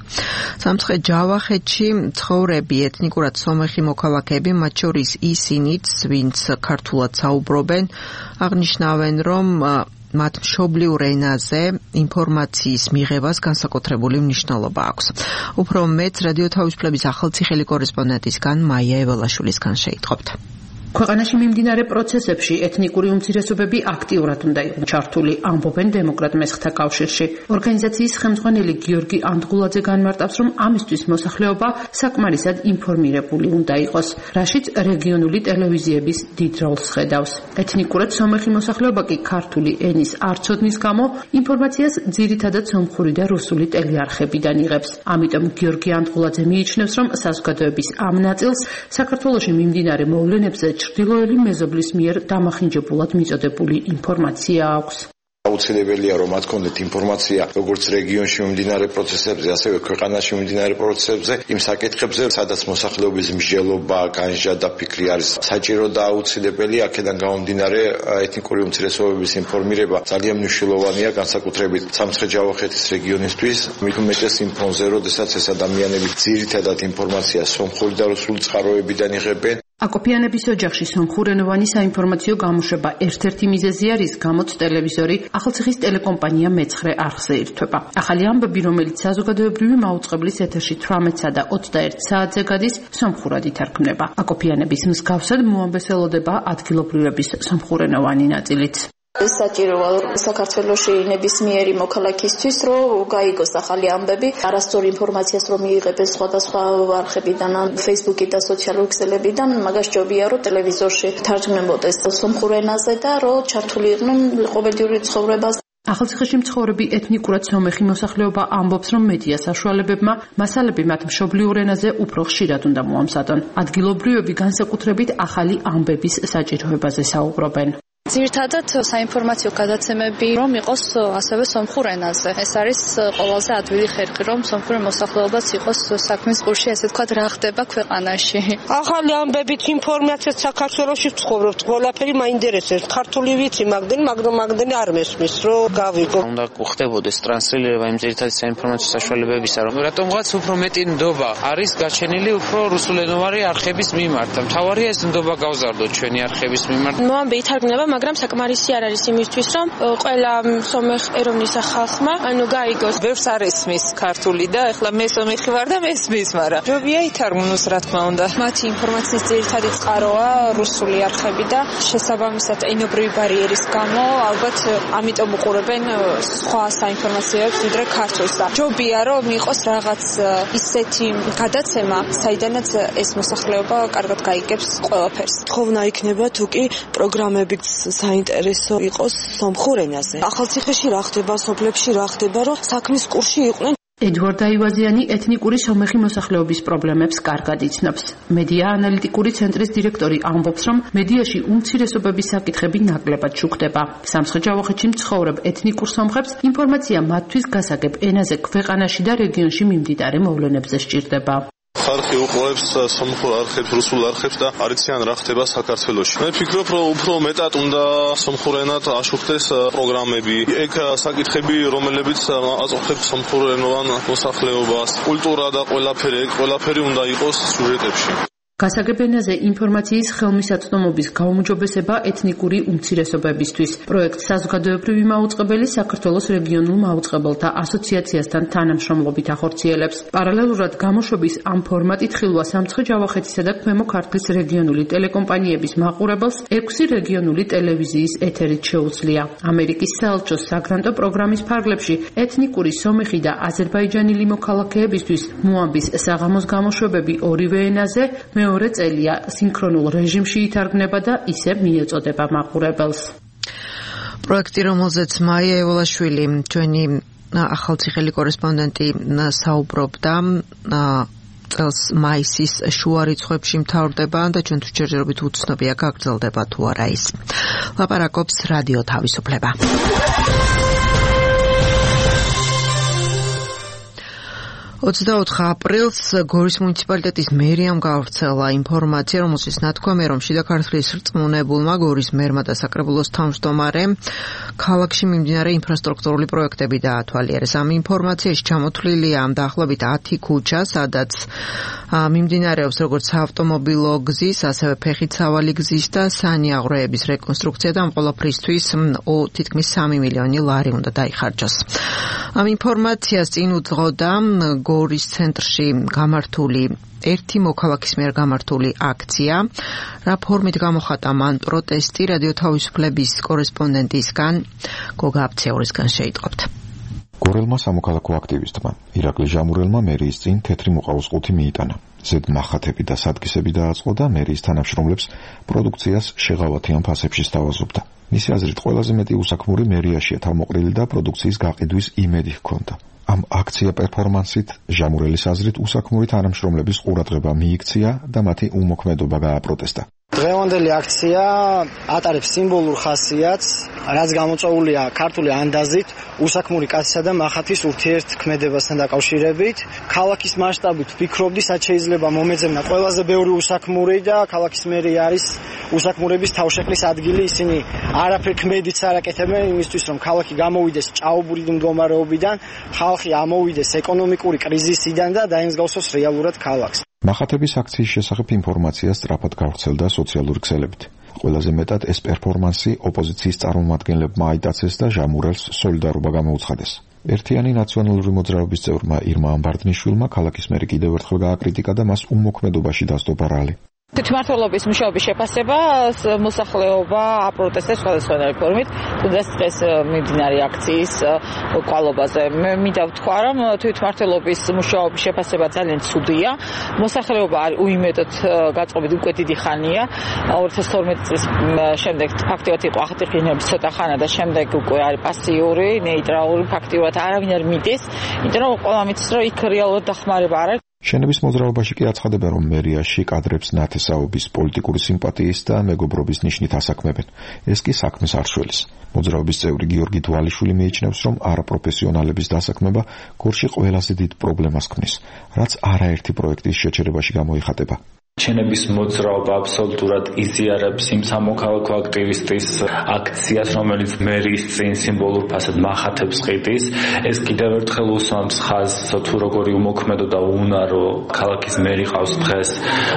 სამცხე-ჯავახეთში ცხოვრები ეთნიკურად სომეხი მოქალაქეები, მათ შორის ისინიც, ვინც ქართულად საუბრობენ, აღნიშნავენ, რომ მათ მშობლიურ ენაზე ინფორმაციის მიღებას განსაკუთრებული მნიშვნელობა აქვს. უფრო მეც რადიო თავისუფლების ახალციხელი კორესპონდენტისგან მაია ეველაშვილისგან შეიტყობთ. ქვეყანაში მიმდინარე პროცესებში ეთნიკური უმცირესობები აქტიურად უნდა იყვნენ ჩართული, ამბობენ დემოკრატ მესხთა კავშირში. ორგანიზაციის ხელმძღვანელი გიორგი ანდღულაძე განმარტავს, რომ ამისთვის მოსახლეობა საკმარისად ინფორმირებული უნდა იყოს, რაშიც რეგიონული ტელევიზიების დიდ როლს ხედავს. ეთნიკურად სომეხი მოსახლეობა კი ქართული ენის არცოდნის გამო ინფორმაციას ძირითადად სომხური და რუსული ტელეარხებიდან იღებს. ამიტომ გიორგი ანდღულაძე მიიჩნევს, რომ საზოგადოების ამ ნაწილს საქართველოში მიმდინარე მოვლენებზე ჩრდილოელი მეზობლის მიერ დამახინჯებულად მიწოდებული ინფორმაცია აქვს. აუცილებელია რომ მათ კონდეთ ინფორმაცია როგორც რეგიონში მიმდინარე პროცესებზე, ასევე ქვეყანაში მიმდინარე პროცესებზე, იმ საკითხებზე, სადაც მოსახლეობის მსჯელობა, განსჯა და ფიქრი არის საჭირო და აუცილებელი. აქედან გამომდინარე ეთნიკური უმცირესობების ინფორმირება ძალიან მნიშვნელოვანია, განსაკუთრებით სამცხე-ჯავახეთის რეგიონისთვის, მით უმეტეს იმ ფონზე, როდესაც ეს ადამიანები ძირითადად ინფორმაციას სომხური და რუსული წყაროებიდან იღებენ. აკოპიანების ოჯახში სომხურენოვანი საინფორმაციო გამოშვება ერთ-ერთი მიზეზი არის, გამოც ტელევიზორი ახალციხის ტელეკომპანია მეცხრე არხზე ირთვება. ახალი ამბები, რომელიც საზოგადოებრივი მაუწყებლის ეთერში თვრამეტსა და ოცდაერთ საათზე გადის, სომხურად ითარგმნება. აკოპიანების მსგავსად მოამბესელოდება ადგილობრივების სომხურენოვანი ნაწილიც. საჭიროა საქართველოში ნებისმიერი მოქალაქისთვის, რომ გაიგოს ახალი ამბები, არასწორი ინფორმაციას რომ მიიღებენ სხვადასხვა არხებიდან, Facebook-ი და სოციალური ქსელებიდან, მაგას ჯობია რომ ტელევიზორში თარგმნებოდეს სომხურ ენაზე და რომ ჩართული იყვნენ ყოველდღიური ცხოვრებას. ახალციხეში მცხოვრები ეთნიკურად სომეხი მოსახლეობა ამბობს, რომ მედია საშუალებებმა მასალები მათ მშობლიურ ენაზე უფრო ხშირად უნდა მოამზადონ. ადგილობრივები განსაკუთრებით ახალი ამბების საჭიროებაზე საუბრობენ. ძირითადად საინფორმაციო გადაცემები რომ იყოს ასევე სომხურ ენაზე. ეს არის ყველაზე ადვილი ხერხი, რომ სომხური მოსახლეობაც იყოს საქმის კურსში, ესე ვთქვათ, რა ხდება ქვეყანაში. ახალი ამბებით ინფორმაციას საქართველოში ვცხოვრობთ, ყველაფერი მაინტერესებს. ქართული ვიცი, მაგდენი, მაგრამ მაგდენი არ მესმის, რომ გავიგო. უნდა ხდებოდეს ტრანსლირება იმ ძირითადი საინფორმაციო საშუალებებისა, რომ რატომღაც უფრო მეტი ნდობა არის გაჩენილი უფრო რუსულენოვანი არხების მიმართ. მთავარია ეს ნდობა გავზარდოთ ჩვენი არხების მიმართ. მოამბე ითარგმნება, მაგრამ საკმარისი არ არის იმისთვის, რომ ყველა სომეხ ეროვნის ხალხმა ანუ გაიგოს. ბევრს არ ესმის ქართული და ეხლა მე სომეხი ვარ და მესმის, მაგრამ ჯობია ითარგმნოს, რა თქმა უნდა. მათი ინფორმაციის ძირითადი წყაროა რუსული არხები და შესაბამისად ენობრივი ბარიერის გამო ალბათ ამიტომ უყურებენ სხვა საინფორმაციოებს ვიდრე ქართულსა. ჯობია რომ იყოს რაღაც ისეთი გადაცემა, საიდანაც ეს მოსახლეობა კარგად გაიგებს ყველაფერს. თხოვნა იქნება თუ კი პროგრამებიც საინტერესო იყოს სომხურ ენაზე. ახალციხეში რა ხდება, სოფლებში რა ხდება, რომ საქმის კურსში იყვნენ. ედვარდ აივაზიანი ეთნიკური სომეხი მოსახლეობის პრობლემებს კარგად იცნობს. მედია ანალიტიკური ცენტრის დირექტორი ამბობს, რომ მედიაში უმცირესობების საკითხები ნაკლებად შუქდება. სამცხე-ჯავახეთში მცხოვრებ ეთნიკურ სომხებს ინფორმაცია მათთვის გასაგებ ენაზე ქვეყანაში და რეგიონში მიმდინარე მოვლენებზე სჭირდება. ხალხი უყურებს სომხურ არხებს, რუსულ არხებს და არ იციან რა ხდება საქართველოში. მე ვფიქრობ, რომ უფრო მეტად უნდა სომხურ ენად აშუქდეს პროგრამები. ეგ საკითხები, რომლებიც აწუხებს სომხურენოვან მოსახლეობას, კულტურა და ყველაფერი, ყველაფერი უნდა იყოს სიუჟეტებში. გასაგებენაზე ინფორმაციის ხელმისაწვდომობის გაუმჯობესება ეთნიკური უმცირესობებისთვის. პროექტს საზოგადოებრივი მაუწყებელი საქართველოს რეგიონულ მაუწყებელთა ასოციაციასთან თანამშრომლობით ახორციელებს. პარალელურად გამოშვების ამ ფორმატით ხილვა სამცხე-ჯავახეთისა და ქვემო ქართლის რეგიონული ტელეკომპანიების მაყურებელს ექვსი რეგიონული ტელევიზიის ეთერით შეუძლია. ამერიკის საელჩოს საგრანტო პროგრამის ფარგლებში ეთნიკური სომეხი და აზერბაიჯანელი მოქალაქეებისთვის მოამბის საღამოს გამოშვებები ორივე ენაზე მეორე წელია სინქრონულ რეჟიმში ითარგმნება და ისე მიეწოდება მაყურებელს. პროექტი, რომელზეც მაია ევალაშვილი, ჩვენი ახალციხელი კორესპონდენტი საუბრობდა, წელს მაისის შუა რიცხვებში მთავრდება და ჩვენთვის ჯერჯერობით უცნობია გაგრძელდება თუ არა ის. ლაპარაკობს რადიო თავისუფლება. ოცდაოთხ აპრილს გორის მუნიციპალიტეტის მერიამ გავრცელა ინფორმაცია, რომელშიც ნათქვამია, რომ შიდა ქართლის რწმუნებულმა გორის მერმა და საკრებულოს თავმჯდომარემ ქალაქში მიმდინარე ინფრასტრუქტურული პროექტები დაათვალიერეს. ამ ინფორმაციაში ჩამოთვლილია დაახლოებით ათი ქუჩა, სადაც მიმდინარეობს როგორც საავტომობილო გზის, ასევე ფეხით-სავალი გზის და სანიაღვრეების რეკონსტრუქცია და ამ ყველაფრისთვის თითქმის სამი მილიონი ლარი უნდა დაიხარჯოს. ამ ინფორმაციას წინ უძღოდა გორის ცენტრში გამართული ერთი მოქალაქის მიერ გამართული აქცია, რა ფორმით გამოხატა მან პროტესტი რადიო თავისუფლების კორესპონდენტისგან გოგა აფცეურისგან შეიტყობთ. გორელმა სამოქალაქო აქტივისტმა ირაკლი ჟამურელმა მერიის წინ თეთრი მოყავისყუთი მიიტანა. ზედ მახათები და სადგისები დააწყო და მერიის თანამშრომლებს პროდუქციას შეღავათიან ფასებში სთავაზობდა. მისი აზრით ყველაზე მეტი უსაქმური მერიაშია თავმოყრილი და პროდუქციის გაყიდვის იმედი ჰქონდა. ამ აქცია პერფორმანსით ჟამურელის აზრით უსაქმური თანამშრომლების ყურადღება მიიქცია და მათი უმოქმედობა გააპროტესტა. დღევანდელი აქცია ატარებს სიმბოლურ ხასიათს, რაც გამოწვეულია ქართული ანდაზით უსაქმური კაცისა და მახათის ურთიერთქმედებასთან დაკავშირებით. ქალაქის მასშტაბით ვფიქრობდი, სად შეიძლება მომეძებნა ყველაზე ბევრი უსაქმური და ქალაქის მერი არის უსაქმურების თავშეყრის ადგილი. ისინი არაფერ ქმედიც არ აკეთებენ იმისთვის, რომ ქალაქი გამოვიდეს ჭაობური მდგომარეობიდან, ხალხი ამოვიდეს ეკონომიკური კრიზისიდან და დაემსგავსოს რეალურად ქალაქს. მახათების აქციის შესახებ ინფორმაცია სწრაფად გავრცელდა სოციალური ქსელებით. ყველაზე მეტად ეს პერფორმანსი ოპოზიციის წარმომადგენლებმა აიტაცეს და ჟამურელს სოლიდარობა გამოუცხადეს. ერთიანი ნაციონალური მოძრაობის წევრმა ირმა ამბარდნიშვილმა ქალაქის მერი კიდევ ერთხელ გააკრიტიკა და მას უმოქმედობაში დასდო ბრალი. თვითმმართველობის მუშაობის შეფასება მოსახლეობა აპროტესტებს სხვადასხვანაირი ფორმით, თუნდაც დღეს მიმდინარე აქციის კვალობაზე. მე მინდა ვთქვა, რომ თვითმმართველობის მუშაობის შეფასება ძალიან ცუდია. მოსახლეობა არის უიმედოდ გაწყობით უკვე დიდი ხანია. ორი ათას თორმეტი წლის შემდეგ ფაქტიურად იყო ახალციხეების ცოტა ხანა და შემდეგ უკვე არის პასიური, ნეიტრალური, ფაქტიურად არავინ არ მიდის, იმიტომ რომ ყველა მიცის, რომ იქ რეალურად დახმარება არ არის. შენების მოძრაობაში კი აცხადება, რომ მერიაში კადრებს ნათესაობის პოლიტიკური სიმპათიის და მეგობრობის ნიშნით ასაქმებენ. ეს კი საქმეს არ შველის. მოძრაობის წევრი გიორგი დვალიშვილი მიიჩნევს, რომ არაპროფესიონალების დასაქმება გორში ყველაზე დიდ პრობლემას ქმნის, რაც არაერთი პროექტის შეჩერებაში გამოიხატება. ჩენების მოძრაობა აბსოლუტურად იზიარებს იმ სამოქალაქო აქტივისტის აქციას, რომელიც მერიის წინ სიმბოლურ ფასად მახათებს ყიდის. ეს კიდევ ერთხელ უსვამს ხაზს, თუ როგორი უმოქმედო და უნარო ქალაქის მერი ყავს დღეს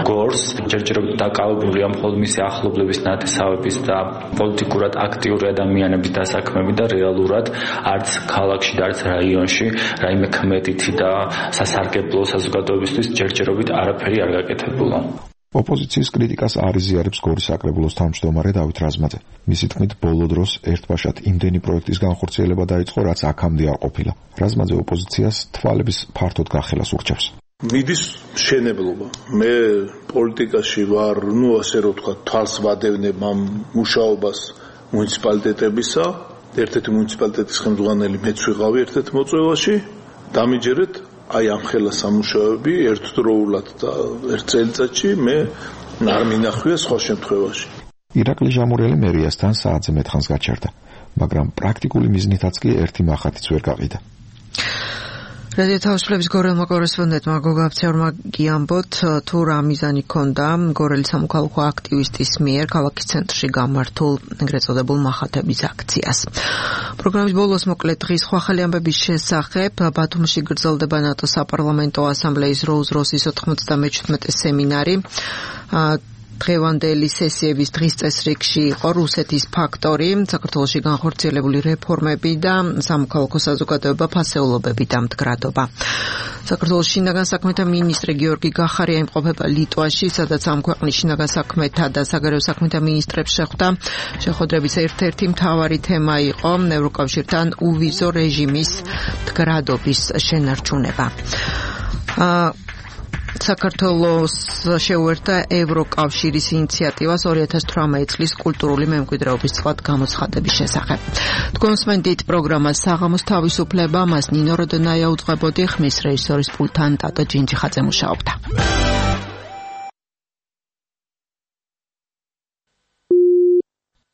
გორს. ჯერჯერობით დაკავებულია მხოლოდ მისი ახლობლების ნათესავების და პოლიტიკურად აქტიური ადამიანების დასაქმები და რეალურად არც ქალაქში და არც რაიონში რაიმე ქმედითი და სასარგებლო საზოგადოებისთვის ჯერჯერობით არაფერი არ გაკეთებულა. ოპოზიციის კრიტიკას არ იზიარებს გორის საკრებულოს თავმჯდომარე დავით რაზმაძე. მისი თქმით, ბოლო დროს ერთბაშად იმდენი პროექტის განხორციელება დაიწყო, რაც აქამდე არ ყოფილა. რაზმაძე ოპოზიციას თვალების ფართოდ გახელას ურჩევს. მიდის მშენებლობა. მე პოლიტიკაში ვარ, ну ასე რომ ვთქვა, თვალს ვადევნებ ამ მუშაობას მუნიციპალიტეტებისა. ერთ-ერთი მუნიციპალიტეტის ხელმძღვანელი მეც ვიყავი ერთ-ერთ მოწვევაში. დამიჯერეთ აი ამ ხელა სამუშაოები ერთდროულად და ერთ წელიწადში მე არ მინახვია სხვა შემთხვევაში. ირაკლი ჟამურელი მერიასთან საათზე მეთხანს გაჩერდა, მაგრამ პრაქტიკული მიზნითაც კი ერთი მახათიც ვერ გაყიდა. რადიო თავისუფლების გორელმა კორესპონდენტმა გოგა აფცეურმა გიამბოთ, თუ რა მიზანი ჰქონდა გორელის სამოქალაქო აქტივისტის მიერ ქალაქის ცენტრში გამართულ ეგრეთ წოდებულ მახათების აქციას. პროგრამის ბოლოს მოკლედ დღის სხვა ხელი ამბების შესახებ ბათუმში გრძელდება ნატოს საპარლამენტო ასამბლეის როუზ როსის ოთხმოცდამეჩვიდმეტე სემინარი. დღევანდელი სესიების დღის წესრიგში იყო რუსეთის ფაქტორი, საქართველოში განხორციელებული რეფორმები და სამოქალაქო საზოგადოება ფასეულობები და მდგრადობა. საქართველოს შინაგან საქმეთა მინისტრი გიორგი გახარია იმყოფება ლიტვაში, სადაც ამ ქვეყნის შინაგან საქმეთა და საგარეო საქმეთა მინისტრებს შეხვდა. შეხვედრების ერთ-ერთი მთავარი თემა იყო ევროკავშირთან უვიზო რეჟიმის მდგრადობის შენარჩუნება. საქართველოს შეუერთდა ევროკავშირის ინიციატივას ორი ათას თვრამეტი წლის კულტურული მემკვიდრეობის წლად გამოცხადების შესახებ. თქვენსმენდით პროგრამას საღამოს თავისუფლება, მას ნინო როდონაია უძღვებოდი, ხმის რეჟისორის პულტთან ტატო ჯინჯიხაძე მუშაობდა.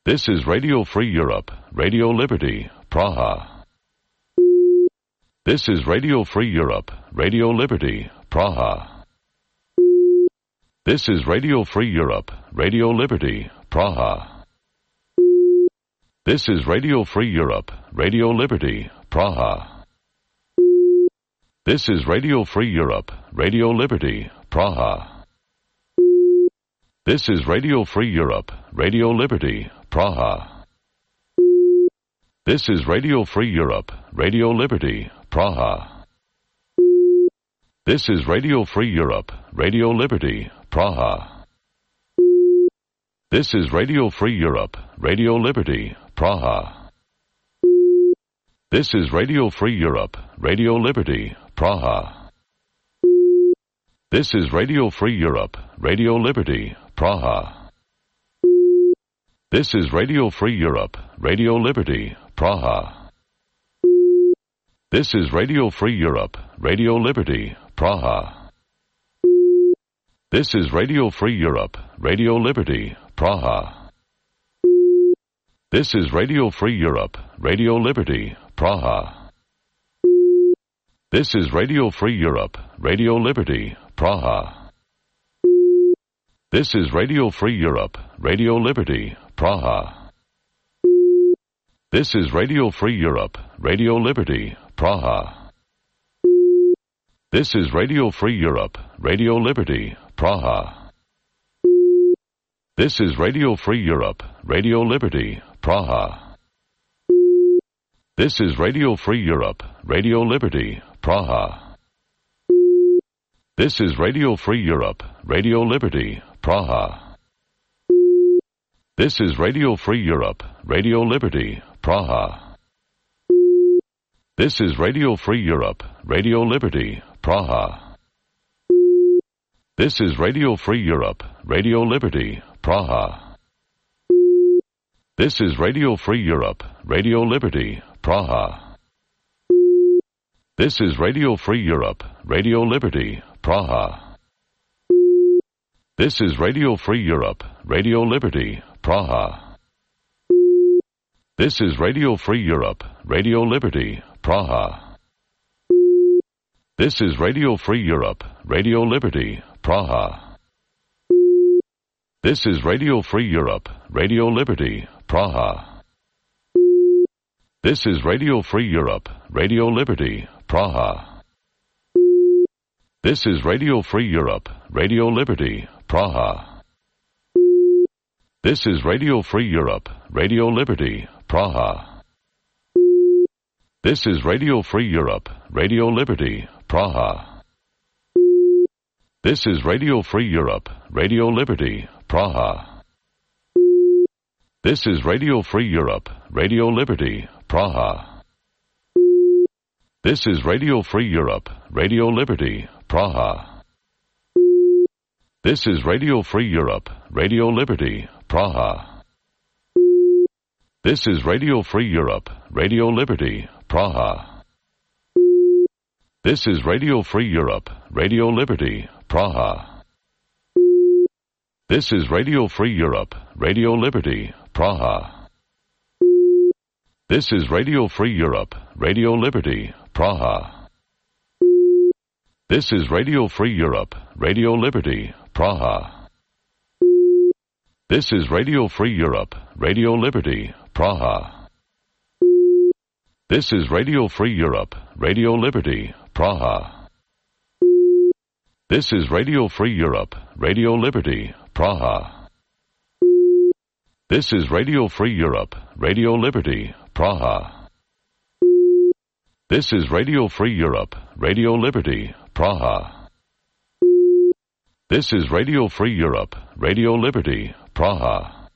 This is Radio Free Europe, Radio Liberty, Praha. This is Radio Free Europe, Radio Liberty, Praha. This is Radio Free Europe, Radio Liberty, Praha. This is Radio Free Europe, Radio Liberty, Praha. This is Radio Free Europe, Radio Liberty, Praha. This is Radio Free Europe, Radio Liberty, Praha. This is Radio Free Europe, Radio Liberty, Praha. This is Radio Free Europe, Radio Liberty, Praha. This is Radio Free Europe, Radio Liberty, Praha. This is Radio Free Europe, Radio Liberty, Praha. This is Radio Free Europe, Radio Liberty, Praha. This is Radio Free Europe, Radio Liberty, Praha. This is Radio Free Europe, Radio Liberty, Praha. This is Radio Free Europe, Radio Liberty, Praha. This is Radio Free Europe, Radio Liberty, Praha. This is Radio Free Europe, Radio Liberty, Praha. This is Radio Free Europe, Radio Liberty, Praha. This is Radio Free Europe, Radio Liberty, Praha. This is Radio Free Europe, Radio Liberty, Praha. This is Radio Free Europe, Radio Liberty, Praha. This is Radio Free Europe, Radio Liberty, Praha. This is Radio Free Europe, Radio Liberty, Praha. This is Radio Free Europe, Radio Liberty, Praha. This is Radio Free Europe, Radio Liberty, Praha. This is Radio Free Europe, Radio Liberty, Praha. This is Radio Free Europe, Radio Liberty, Praha. This is Radio Free Europe, Radio Liberty, Praha. This is Radio Free Europe, Radio Liberty, Praha. This is Radio Free Europe, Radio Liberty, Praha. This is Radio Free Europe, Radio Liberty, Praha. This is Radio Free Europe, Radio Liberty, Praha. This is Radio Free Europe, Radio Liberty, Praha. This is Radio Free Europe, Radio Liberty, Praha. This is Radio Free Europe, Radio Liberty, Praha. This is Radio Free Europe, Radio Liberty, Praha. This is Radio Free Europe, Radio Liberty, Praha. This is Radio Free Europe, Radio Liberty, Praha. This is Radio Free Europe, Radio Liberty, Praha. This is Radio Free Europe, Radio Liberty, Praha. This is Radio Free Europe, Radio Liberty, Praha. This is Radio Free Europe, Radio Liberty, Praha. This is Radio Free Europe, Radio Liberty, Praha. This is Radio Free Europe, Radio Liberty, Praha. This is Radio Free Europe, Radio Liberty, Praha. This is Radio Free Europe, Radio Liberty, Praha. This is Radio Free Europe, Radio Liberty, Praha. This is Radio Free Europe, Radio Liberty, Praha. This is Radio Free Europe, Radio Liberty, Praha. This is Radio Free Europe, Radio Liberty, Praha. This is Radio Free Europe, Radio Liberty, Praha.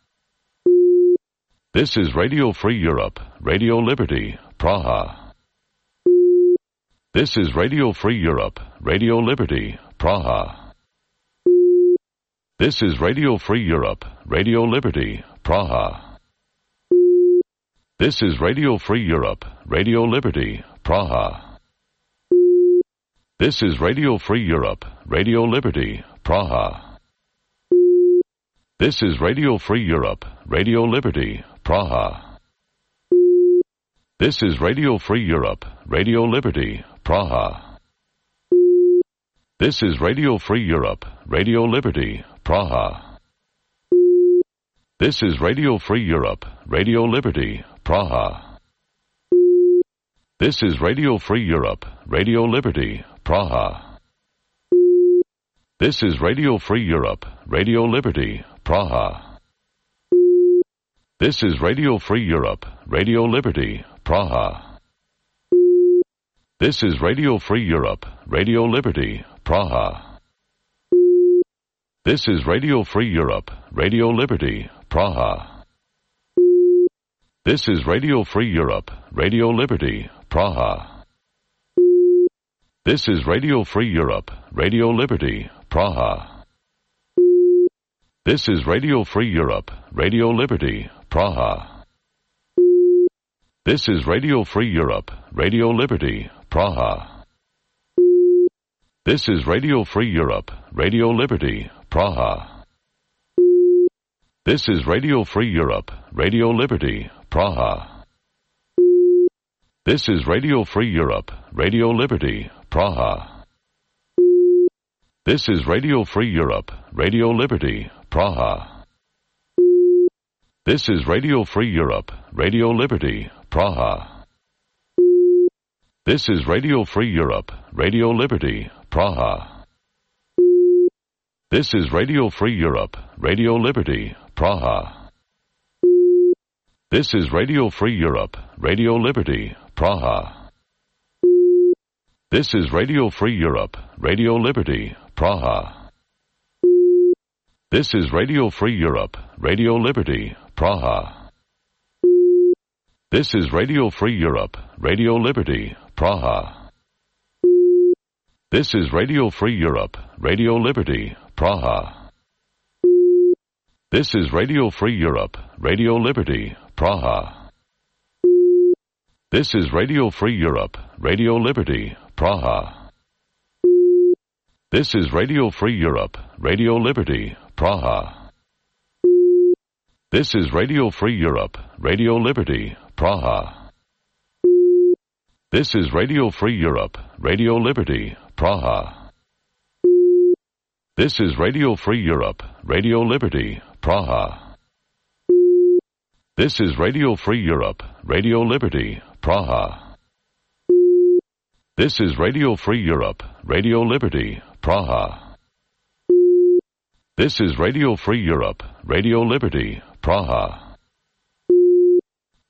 This is Radio Free Europe, Radio Liberty, Praha. This is Radio Free Europe, Radio Liberty, Praha. This is Radio Free Europe, Radio Liberty, Praha. This is Radio Free Europe, Radio Liberty, Praha. This is Radio Free Europe, Radio Liberty, Praha. This is Radio Free Europe, Radio Liberty, Praha. This is Radio Free Europe, Radio Liberty, Praha. This is Radio Free Europe, Radio Liberty, Praha. This is Radio Free Europe, Radio Liberty, Praha. This is Radio Free Europe, Radio Liberty, Praha. This is Radio Free Europe, Radio Liberty, Praha. This is Radio Free Europe, Radio Liberty, Praha. This is Radio Free Europe, Radio Liberty, Praha. This is Radio Free Europe, Radio Liberty, Praha. This is Radio Free Europe, Radio Liberty, Praha. This is Radio Free Europe, Radio Liberty, Praha. This is Radio Free Europe, Radio Liberty, Praha. This is Radio Free Europe, Radio Liberty, Praha. This is Radio Free Europe, Radio Liberty, Praha. This is Radio Free Europe, Radio Liberty, Praha. This is Radio Free Europe, Radio Liberty, Praha. This is Radio Free Europe, Radio Liberty, Praha. This is Radio Free Europe, Radio Liberty, Praha. This is Radio Free Europe, Radio Liberty, Praha. This is Radio Free Europe, Radio Liberty, Praha. This is Radio Free Europe, Radio Liberty, Praha. This is Radio Free Europe, Radio Liberty, Praha. This is Radio Free Europe, Radio Liberty, Praha. This is Radio Free Europe, Radio Liberty, Praha. This is Radio Free Europe, Radio Liberty, Praha. This is Radio Free Europe, Radio Liberty, Praha. This is Radio Free Europe, Radio Liberty, Praha. This is Radio Free Europe, Radio Liberty, Praha. This is Radio Free Europe, Radio Liberty, Praha. This is Radio Free Europe, Radio Liberty, Praha. This is Radio Free Europe, Radio Liberty, Praha. This is Radio Free Europe, Radio Liberty, Praha. This is Radio Free Europe, Radio Liberty, Praha. This is Radio Free Europe, Radio Liberty, Praha.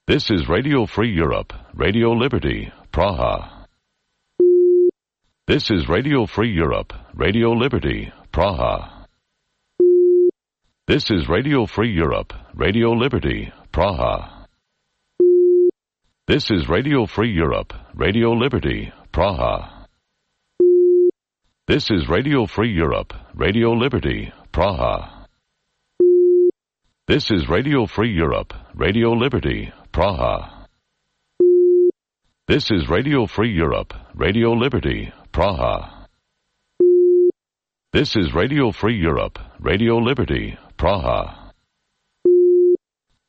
This is Radio Free Europe, Radio Liberty, Praha. This is Radio Free Europe, Radio Liberty, Praha. This is Radio Free Europe, Radio Liberty, Praha. This is Radio Free Europe, Radio Liberty, Praha. This is Radio Free Europe, Radio Liberty, Praha. This is Radio Free Europe, Radio Liberty, Praha. This is Radio Free Europe, Radio Liberty, Praha. This is Radio Free Europe, Radio Liberty, Praha.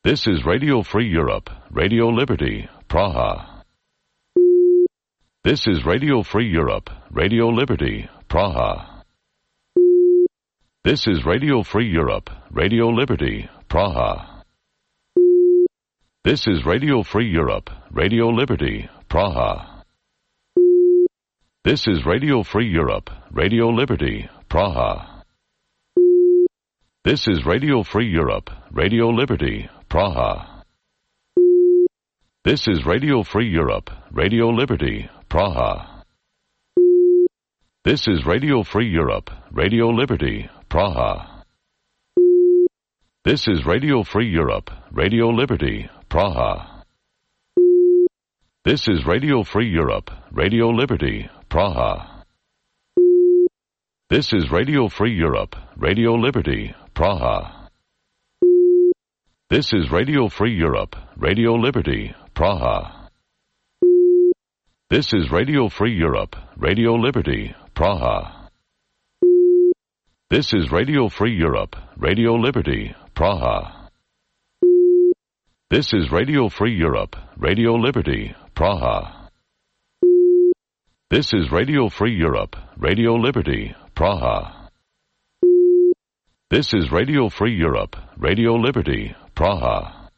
This is Radio Free Europe, Radio Liberty, Praha. This is Radio Free Europe, Radio Liberty, Praha. This is Radio Free Europe, Radio Liberty, Praha. This is Radio Free Europe, Radio Liberty, Praha. This is Radio Free Europe, Radio Liberty, Praha. This is Radio Free Europe, Radio Liberty, Praha. This is Radio Free Europe, Radio Liberty, Praha. This is Radio Free Europe, Radio Liberty, Praha. This is Radio Free Europe, Radio Liberty, Praha. This is Radio Free Europe, Radio Liberty, Praha. This is Radio Free Europe, Radio Liberty, Praha. This is Radio Free Europe, Radio Liberty, Praha. This is Radio Free Europe, Radio Liberty, Praha. This is Radio Free Europe, Radio Liberty, Praha. This is Radio Free Europe, Radio Liberty, Praha. This is Radio Free Europe, Radio Liberty, Praha. This is Radio Free Europe, Radio Liberty, Praha.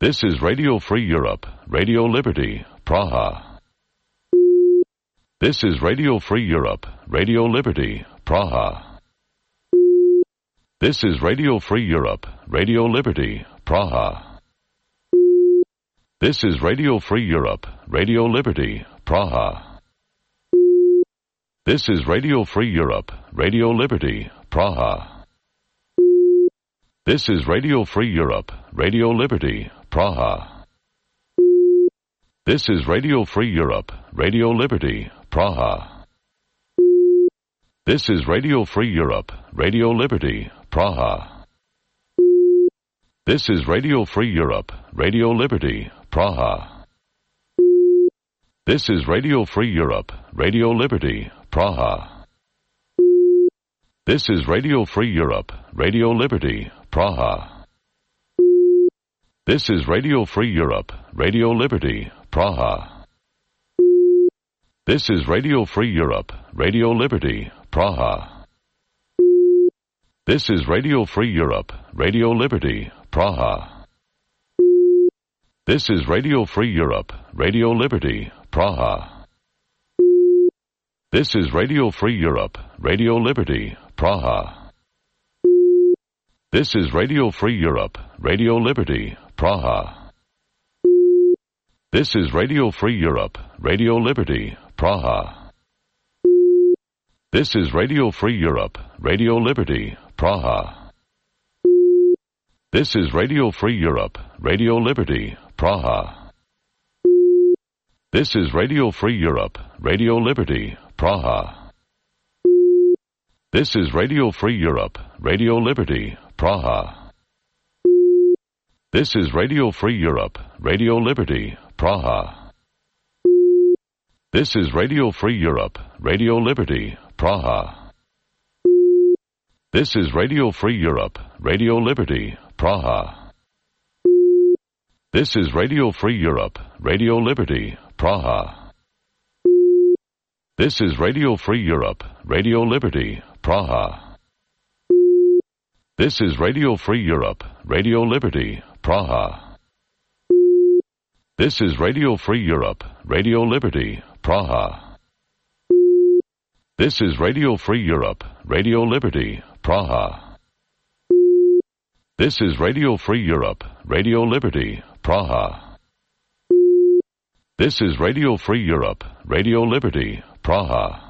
This is Radio Free Europe, Radio Liberty, Praha. This is Radio Free Europe, Radio Liberty, Praha. This is Radio Free Europe, Radio Liberty, Praha. This is Radio Free Europe, Radio Liberty, Praha. This is Radio Free Europe, Radio Liberty, Praha. This is Radio Free Europe, Radio Liberty, Praha. This is Radio Free Europe, Radio Liberty, Praha. This is Radio Free Europe, Radio Liberty, Praha. This is Radio Free Europe, Radio Liberty, Praha. This is Radio Free Europe, Radio Liberty, Praha. This is Radio Free Europe, Radio Liberty, Praha. This is Radio Free Europe, Radio Liberty, Praha. This is Radio Free Europe, Radio Liberty, Praha. This is Radio Free Europe, Radio Liberty, Praha. This is Radio Free Europe, Radio Liberty, Praha. This is Radio Free Europe, Radio Liberty, Praha. This is Radio Free Europe, Radio Liberty, Praha. This is Radio Free Europe, Radio Liberty, Praha. This is Radio Free Europe, Radio Liberty, Praha. This is Radio Free Europe, Radio Liberty, Praha. This is Radio Free Europe, Radio Liberty, Praha. This is Radio Free Europe, Radio Liberty, Praha. This is Radio Free Europe, Radio Liberty, Praha. This is Radio Free Europe, Radio Liberty, Praha. This is Radio Free Europe, Radio Liberty, Praha. This is Radio Free Europe, Radio Liberty, Praha. This is Radio Free Europe, Radio Liberty, Praha. This is Radio Free Europe, Radio Liberty, Praha. This is Radio Free Europe, Radio Liberty, Praha. This is Radio Free Europe, Radio Liberty, Praha. This is Radio Free Europe, Radio Liberty, Praha. This is Radio Free Europe, Radio Liberty, Praha.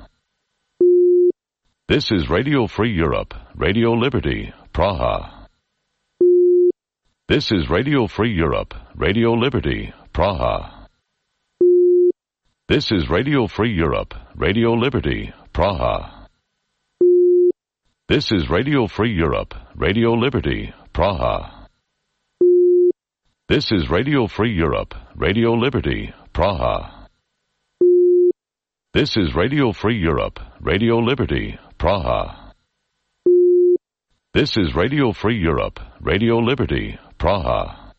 This is Radio Free Europe, Radio Liberty, Praha. This is Radio Free Europe, Radio Liberty, Praha. This is Radio Free Europe, Radio Liberty, Praha. This is Radio Free Europe, Radio Liberty, Praha. This is Radio Free Europe, Radio Liberty, Praha. This is Radio Free Europe, Radio Liberty, Praha. This is Radio Free Europe, Radio Liberty, Praha.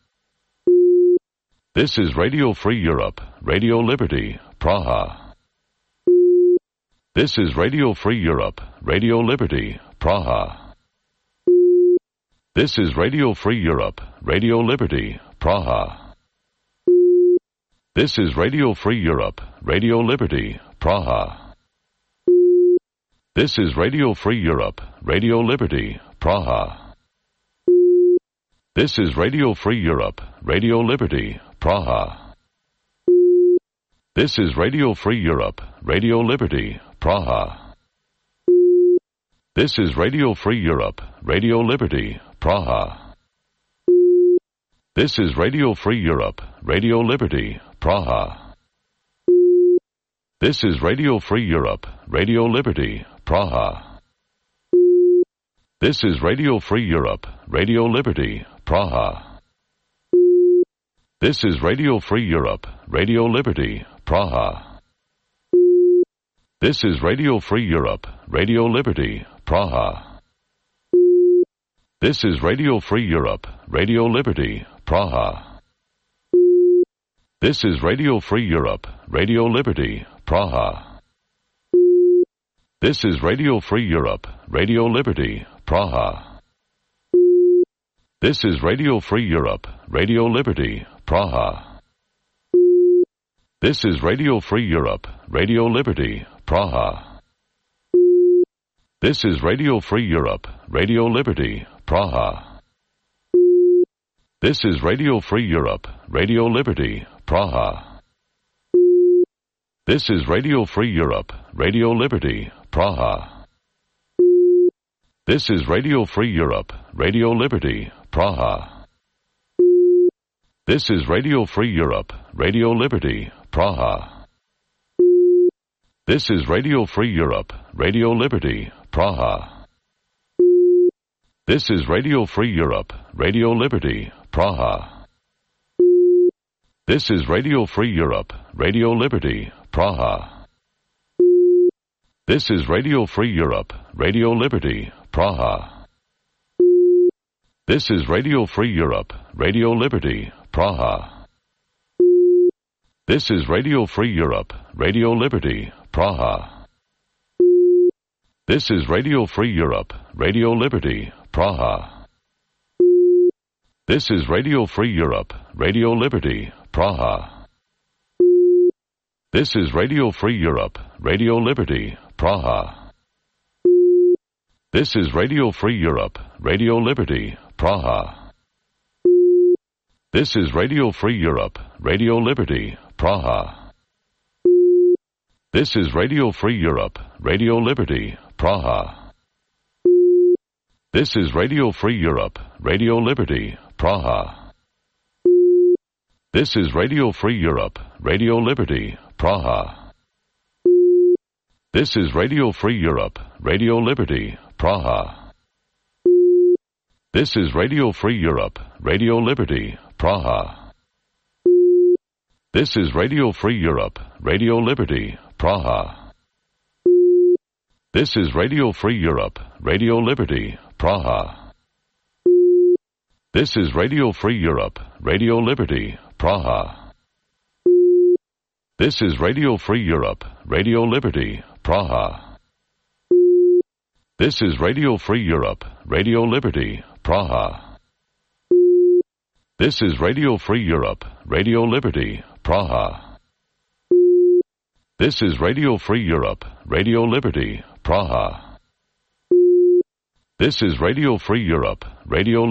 This is Radio Free Europe, Radio Liberty, Praha. This is Radio Free Europe, Radio Liberty, Praha. This is Radio Free Europe, Radio Liberty, Praha. This is Radio Free Europe, Radio Liberty, Praha. This is Radio Free Europe, Radio Liberty, Praha. This is Radio Free Europe, Radio Liberty, Praha. This is Radio Free Europe, Radio Liberty, Praha. This is Radio Free Europe, Radio Liberty, Praha. This is Radio Free Europe, Radio Liberty, Praha. This is Radio Free Europe, Radio Liberty, Praha. This is Radio Free Europe, Radio Liberty, Praha. This is Radio Free Europe, Radio Liberty, Praha. This is Radio Free Europe, Radio Liberty, Praha. This is Radio Free Europe, Radio Liberty, Praha. This is Radio Free Europe, Radio Liberty, Praha. This is Radio Free Europe, Radio Liberty, Praha. This is Radio Free Europe, Radio Liberty, Praha. This is Radio Free Europe, Radio Liberty, Praha. This is Radio Free Europe, Radio Liberty, Praha. This is Radio Free Europe, Radio Liberty, Praha. This is Radio Free Europe, Radio Liberty, Praha. This is Radio Free Europe, Radio Liberty, Praha. This is Radio Free Europe, Radio Liberty, Praha. This is Radio Free Europe, Radio Liberty, Praha. This is Radio Free Europe, Radio Liberty, Praha. This is Radio Free Europe, Radio Liberty, Praha. This is Radio Free Europe, Radio Liberty, Praha. This is Radio Free Europe, Radio Liberty, Praha. This is Radio Free Europe, Radio Liberty, Praha. This is Radio Free Europe, Radio Liberty, Praha. This is Radio Free Europe, Radio Liberty, Praha. This is Radio Free Europe, Radio Liberty, Praha. This is Radio Free Europe, Radio Liberty, Praha. This is Radio Free Europe, Radio Liberty, Praha. This is Radio Free Europe, Radio Liberty, Praha. This is Radio Free Europe, Radio Liberty, Praha. This is Radio Free Europe, Radio Liberty, Praha. This is Radio Free Europe, Radio Liberty, Praha. This is Radio Free Europe, Radio Liberty, Praha. This is Radio Free Europe, Radio Liberty, Praha. This is Radio Free Europe, Radio Liberty, Praha. This is Radio Free Europe, Radio Liberty, Praha. This is Radio Free Europe, Radio Liberty, Praha. This is Radio Free Europe, Radio Liberty, Praha. This is Radio Free Europe, Radio Liberty, Praha. This is Radio Free Europe, Radio Liberty, Praha. This is Radio Free Europe, Radio Liberty,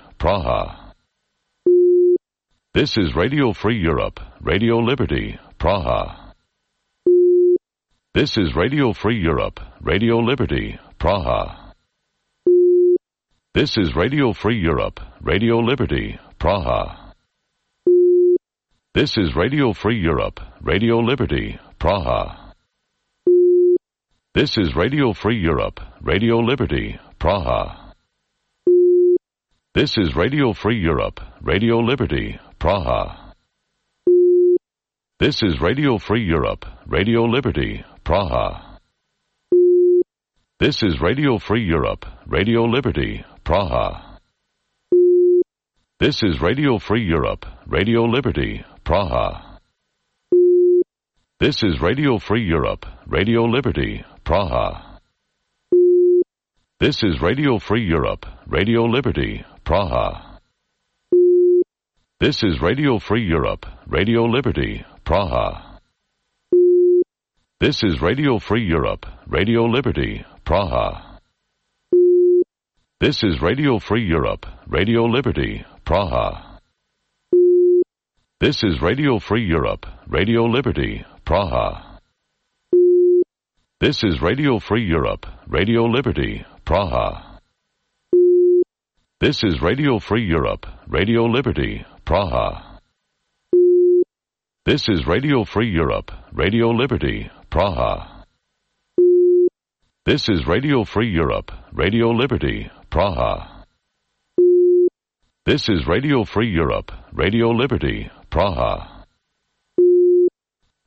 Praha. This is Radio Free Europe, Radio Liberty, Praha. This is Radio Free Europe, Radio Liberty, Praha. This is Radio Free Europe, Radio Liberty, Praha. This is Radio Free Europe, Radio Liberty, Praha. This is Radio Free Europe, Radio Liberty, Praha. This is Radio Free Europe, Radio Liberty, Praha. This is Radio Free Europe, Radio Liberty, Praha. This is Radio Free Europe, Radio Liberty, Praha. This is Radio Free Europe, Radio Liberty, Praha. This is Radio Free Europe, Radio Liberty, Praha. This is Radio Free Europe, Radio Liberty, Praha. This is Radio Free Europe, Radio Liberty, Praha. This is Radio Free Europe, Radio Liberty, Praha. This is Radio Free Europe, Radio Liberty, Praha. This is Radio Free Europe, Radio Liberty, Praha. This is Radio Free Europe, Radio Liberty, Praha. This is Radio Free Europe, Radio Liberty, Praha. This is Radio Free Europe, Radio Liberty, Praha. This is Radio Free Europe, Radio Liberty, Praha. This is Radio Free Europe, Radio Liberty, Praha.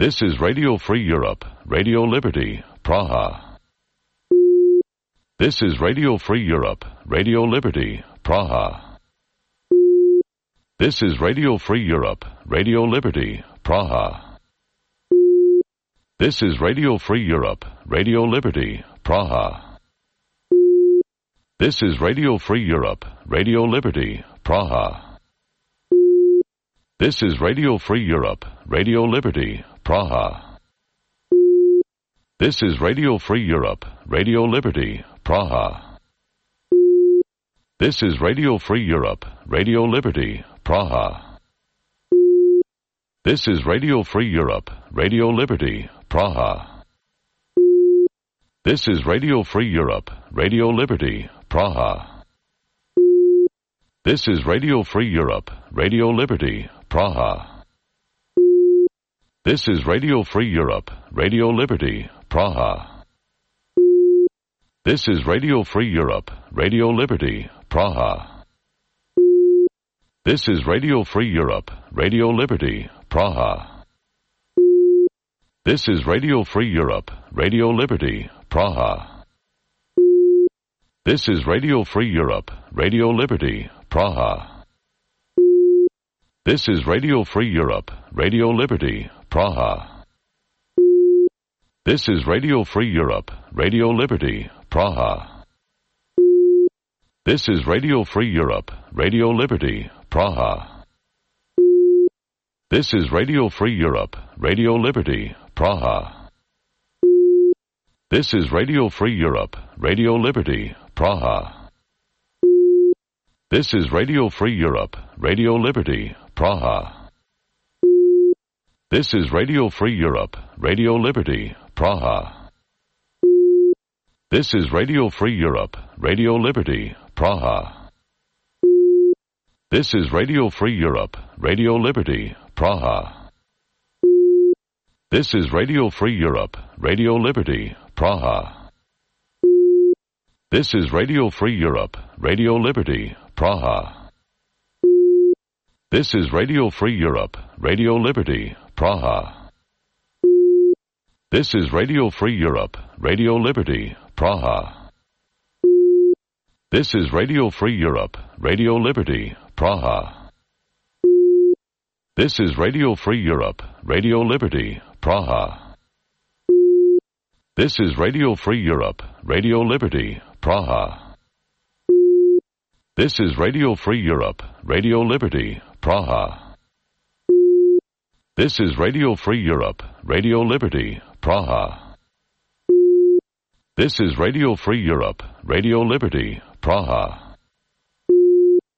This is Radio Free Europe, Radio Liberty, Praha. This is Radio Free Europe, Radio Liberty, Praha. This is Radio Free Europe, Radio Liberty, Praha. This is Radio Free Europe, Radio Liberty, Praha. This is Radio Free Europe, Radio Liberty, Praha. This is Radio Free Europe, Radio Liberty, Praha. This is Radio Free Europe, Radio Liberty, Praha. This is Radio Free Europe, Radio Liberty, Praha. This is Radio Free Europe, Radio Liberty, Praha. This is Radio Free Europe, Radio Liberty, Praha. This is Radio Free Europe, Radio Liberty, Praha. This is Radio Free Europe, Radio Liberty, Praha. This is Radio Free Europe, Radio Liberty, Praha. This is Radio Free Europe, Radio Liberty, Praha. This is Radio Free Europe, Radio Liberty, Praha. This is Radio Free Europe, Radio Liberty, Praha. This is Radio Free Europe, Radio Liberty, Praha. This is Radio Free Europe, Radio Liberty, Praha. This is Radio Free Europe, Radio Liberty, Praha. This is Radio Free Europe, Radio Liberty, Praha. This is Radio Free Europe, Radio Liberty, Praha. This is Radio Free Europe, Radio Liberty, Praha. This is Radio Free Europe, Radio Liberty, Praha. This is Radio Free Europe, Radio Liberty, Praha. This is Radio Free Europe, Radio Liberty, Praha. This is Radio Free Europe, Radio Liberty, Praha. This is Radio Free Europe, Radio Liberty, Praha. This is Radio Free Europe, Radio Liberty, Praha. This is Radio Free Europe, Radio Liberty, Praha. This is Radio Free Europe, Radio Liberty, Praha. This is Radio Free Europe, Radio Liberty, Praha. This is Radio Free Europe, Radio Liberty, Praha. This is Radio Free Europe, Radio Liberty, Praha. This is Radio Free Europe, Radio Liberty, Praha. This is Radio Free Europe, Radio Liberty, Praha.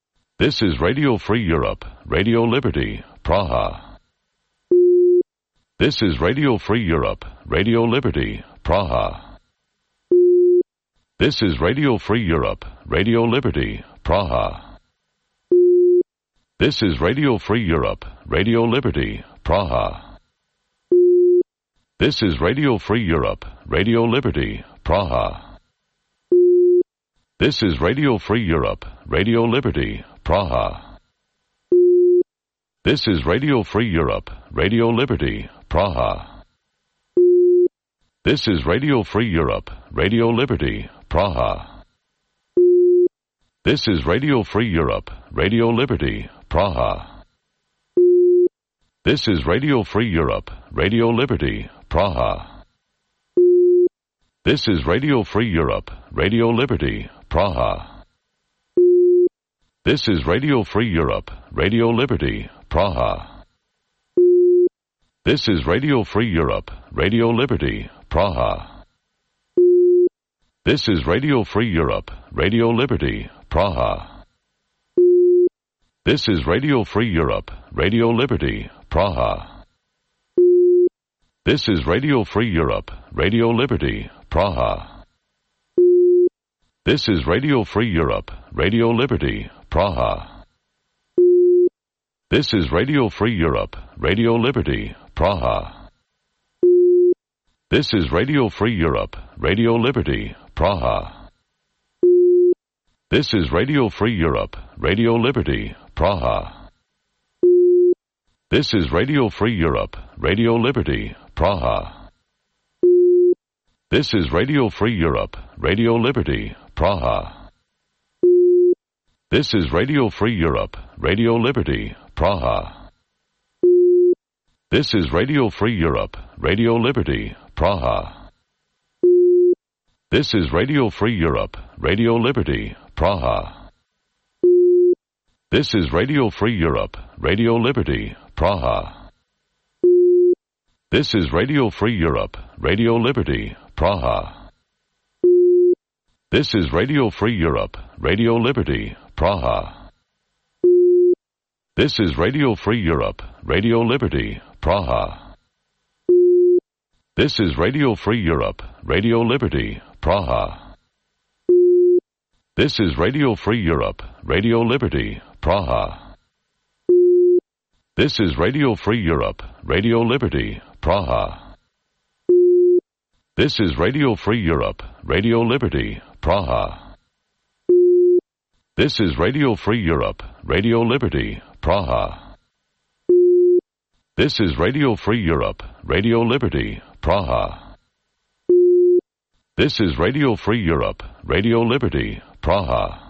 This is Radio Free Europe, Radio Liberty, Praha. This is Radio Free Europe, Radio Liberty, Praha. This is Radio Free Europe, Radio Liberty, Praha. This is Radio Free Europe, Radio Liberty, Praha. This is Radio Free Europe, Radio Liberty, Praha. This is Radio Free Europe, Radio Liberty, Praha. This is Radio Free Europe, Radio Liberty, Praha. This is Radio Free Europe, Radio Liberty, Praha. This is Radio Free Europe, Radio Liberty, Praha. This is Radio Free Europe, Radio Liberty, Praha. This is Radio Free Europe, Radio Liberty, Praha. This is Radio Free Europe, Radio Liberty, Praha. This is Radio Free Europe, Radio Liberty, Praha. This is Radio Free Europe, Radio Liberty, Praha. This is Radio Free Europe, Radio Liberty, Praha. This is Radio Free Europe, Radio Liberty, Praha. This is Radio Free Europe, Radio Liberty, Praha. This is Radio Free Europe, Radio Liberty, Praha. This is Radio Free Europe, Radio Liberty, Praha. This is Radio Free Europe, Radio Liberty, Praha. This is Radio Free Europe, Radio Liberty, Praha. This is Radio Free Europe, Radio Liberty, Praha. This is Radio Free Europe, Radio Liberty, Praha. This is Radio Free Europe, Radio Liberty, Praha. This is Radio Free Europe, Radio Liberty, Praha. This is Radio Free Europe, Radio Liberty, Praha. This is Radio Free Europe, Radio Liberty, Praha. This is Radio Free Europe, Radio Liberty, Praha. This is Radio Free Europe, Radio Liberty, Praha. This is Radio Free Europe, Radio Liberty, Praha. This is Radio Free Europe, Radio Liberty, Praha. This is Radio Free Europe, Radio Liberty, Praha. This is Radio Free Europe, Radio Liberty, Praha. This is Radio Free Europe, Radio Liberty, Praha. This is Radio Free Europe, Radio Liberty, Praha. This is Radio Free Europe, Radio Liberty, Praha.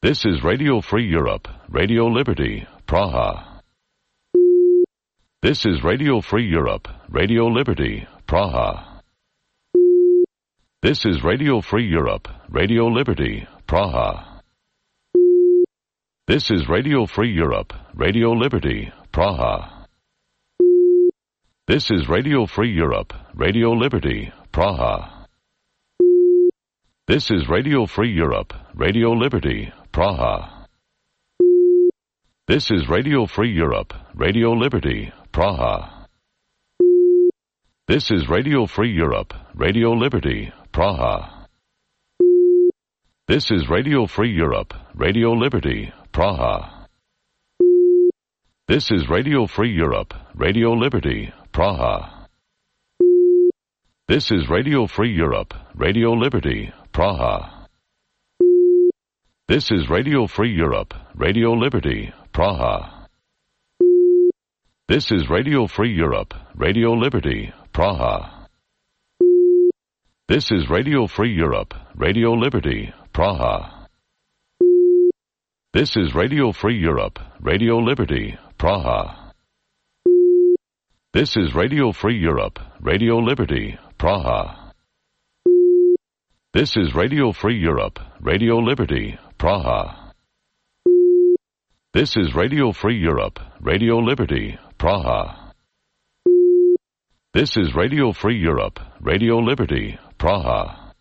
This is Radio Free Europe, Radio Liberty, Praha. This is Radio Free Europe, Radio Liberty, Praha. This is Radio Free Europe, Radio Liberty, Praha. This is Radio Free Europe, Radio Liberty, Praha. This is Radio Free Europe, Radio Liberty, Praha. This is Radio Free Europe, Radio Liberty, Praha. This is Radio Free Europe, Radio Liberty, Praha. This is Radio Free Europe, Radio Liberty, Praha. This is Radio Free Europe, Radio Liberty, Praha. This is Radio Free Europe, Radio Liberty, Praha. This is Radio Free Europe, Radio Liberty, Praha. This is Radio Free Europe, Radio Liberty, Praha. This is Radio Free Europe, Radio Liberty, Praha. This is Radio Free Europe, Radio Liberty, Praha. This is Radio Free Europe, Radio Liberty, Praha. This is Radio Free Europe, Radio Liberty, Praha. This is Radio Free Europe, Radio Liberty, Praha. This is Radio Free Europe, Radio Liberty, Praha. This is Radio Free Europe, Radio Liberty, Praha.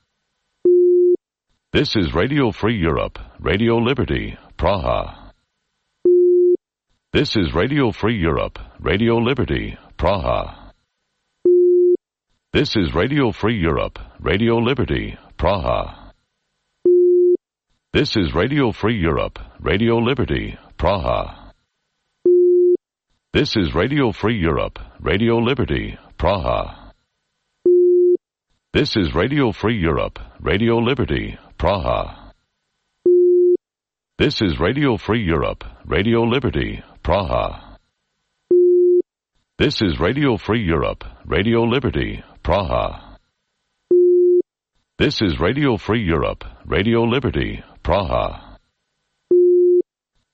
This is Radio Free Europe, Radio Liberty, Praha. This is Radio Free Europe, Radio Liberty, Praha. This is Radio Free Europe, Radio Liberty, Praha. This is Radio Free Europe, Radio Liberty, Praha. This is Radio Free Europe, Radio Liberty, Praha. This is Radio Free Europe, Radio Liberty, Praha. This is Radio Free Europe, Radio Liberty, Praha. This is Radio Free Europe, Radio Liberty, Praha. This is Radio Free Europe, Radio Liberty, Praha.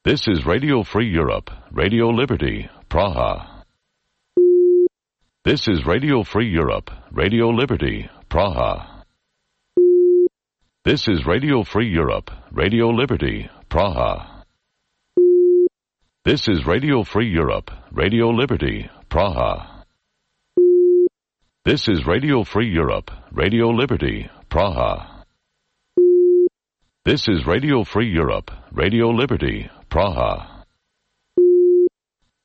This is Radio Free Europe, Radio Liberty, Praha. This is Radio Free Europe, Radio Liberty, Praha. This is Radio Free Europe, Radio Liberty, Praha. This is Radio Free Europe, Radio Liberty, Praha. This is Radio Free Europe, Radio Liberty, Praha. This is Radio Free Europe, Radio Liberty, Praha.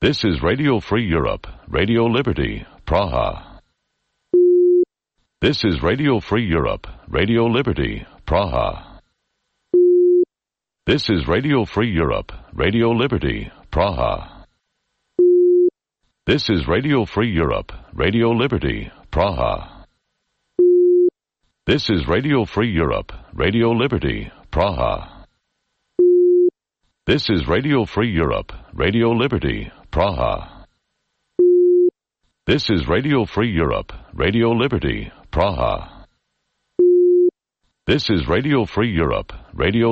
This is Radio Free Europe, Radio Liberty, Praha. This is Radio Free Europe, Radio Liberty, Praha. This is Radio Free Europe, Radio Liberty, Praha. This is Radio Free Europe, Radio Liberty, Praha. This is Radio Free Europe, Radio Liberty, Praha. This is Radio Free Europe, Radio Liberty, Praha. This is Radio Free Europe, Radio Liberty, Praha. This is Radio Free Europe, Radio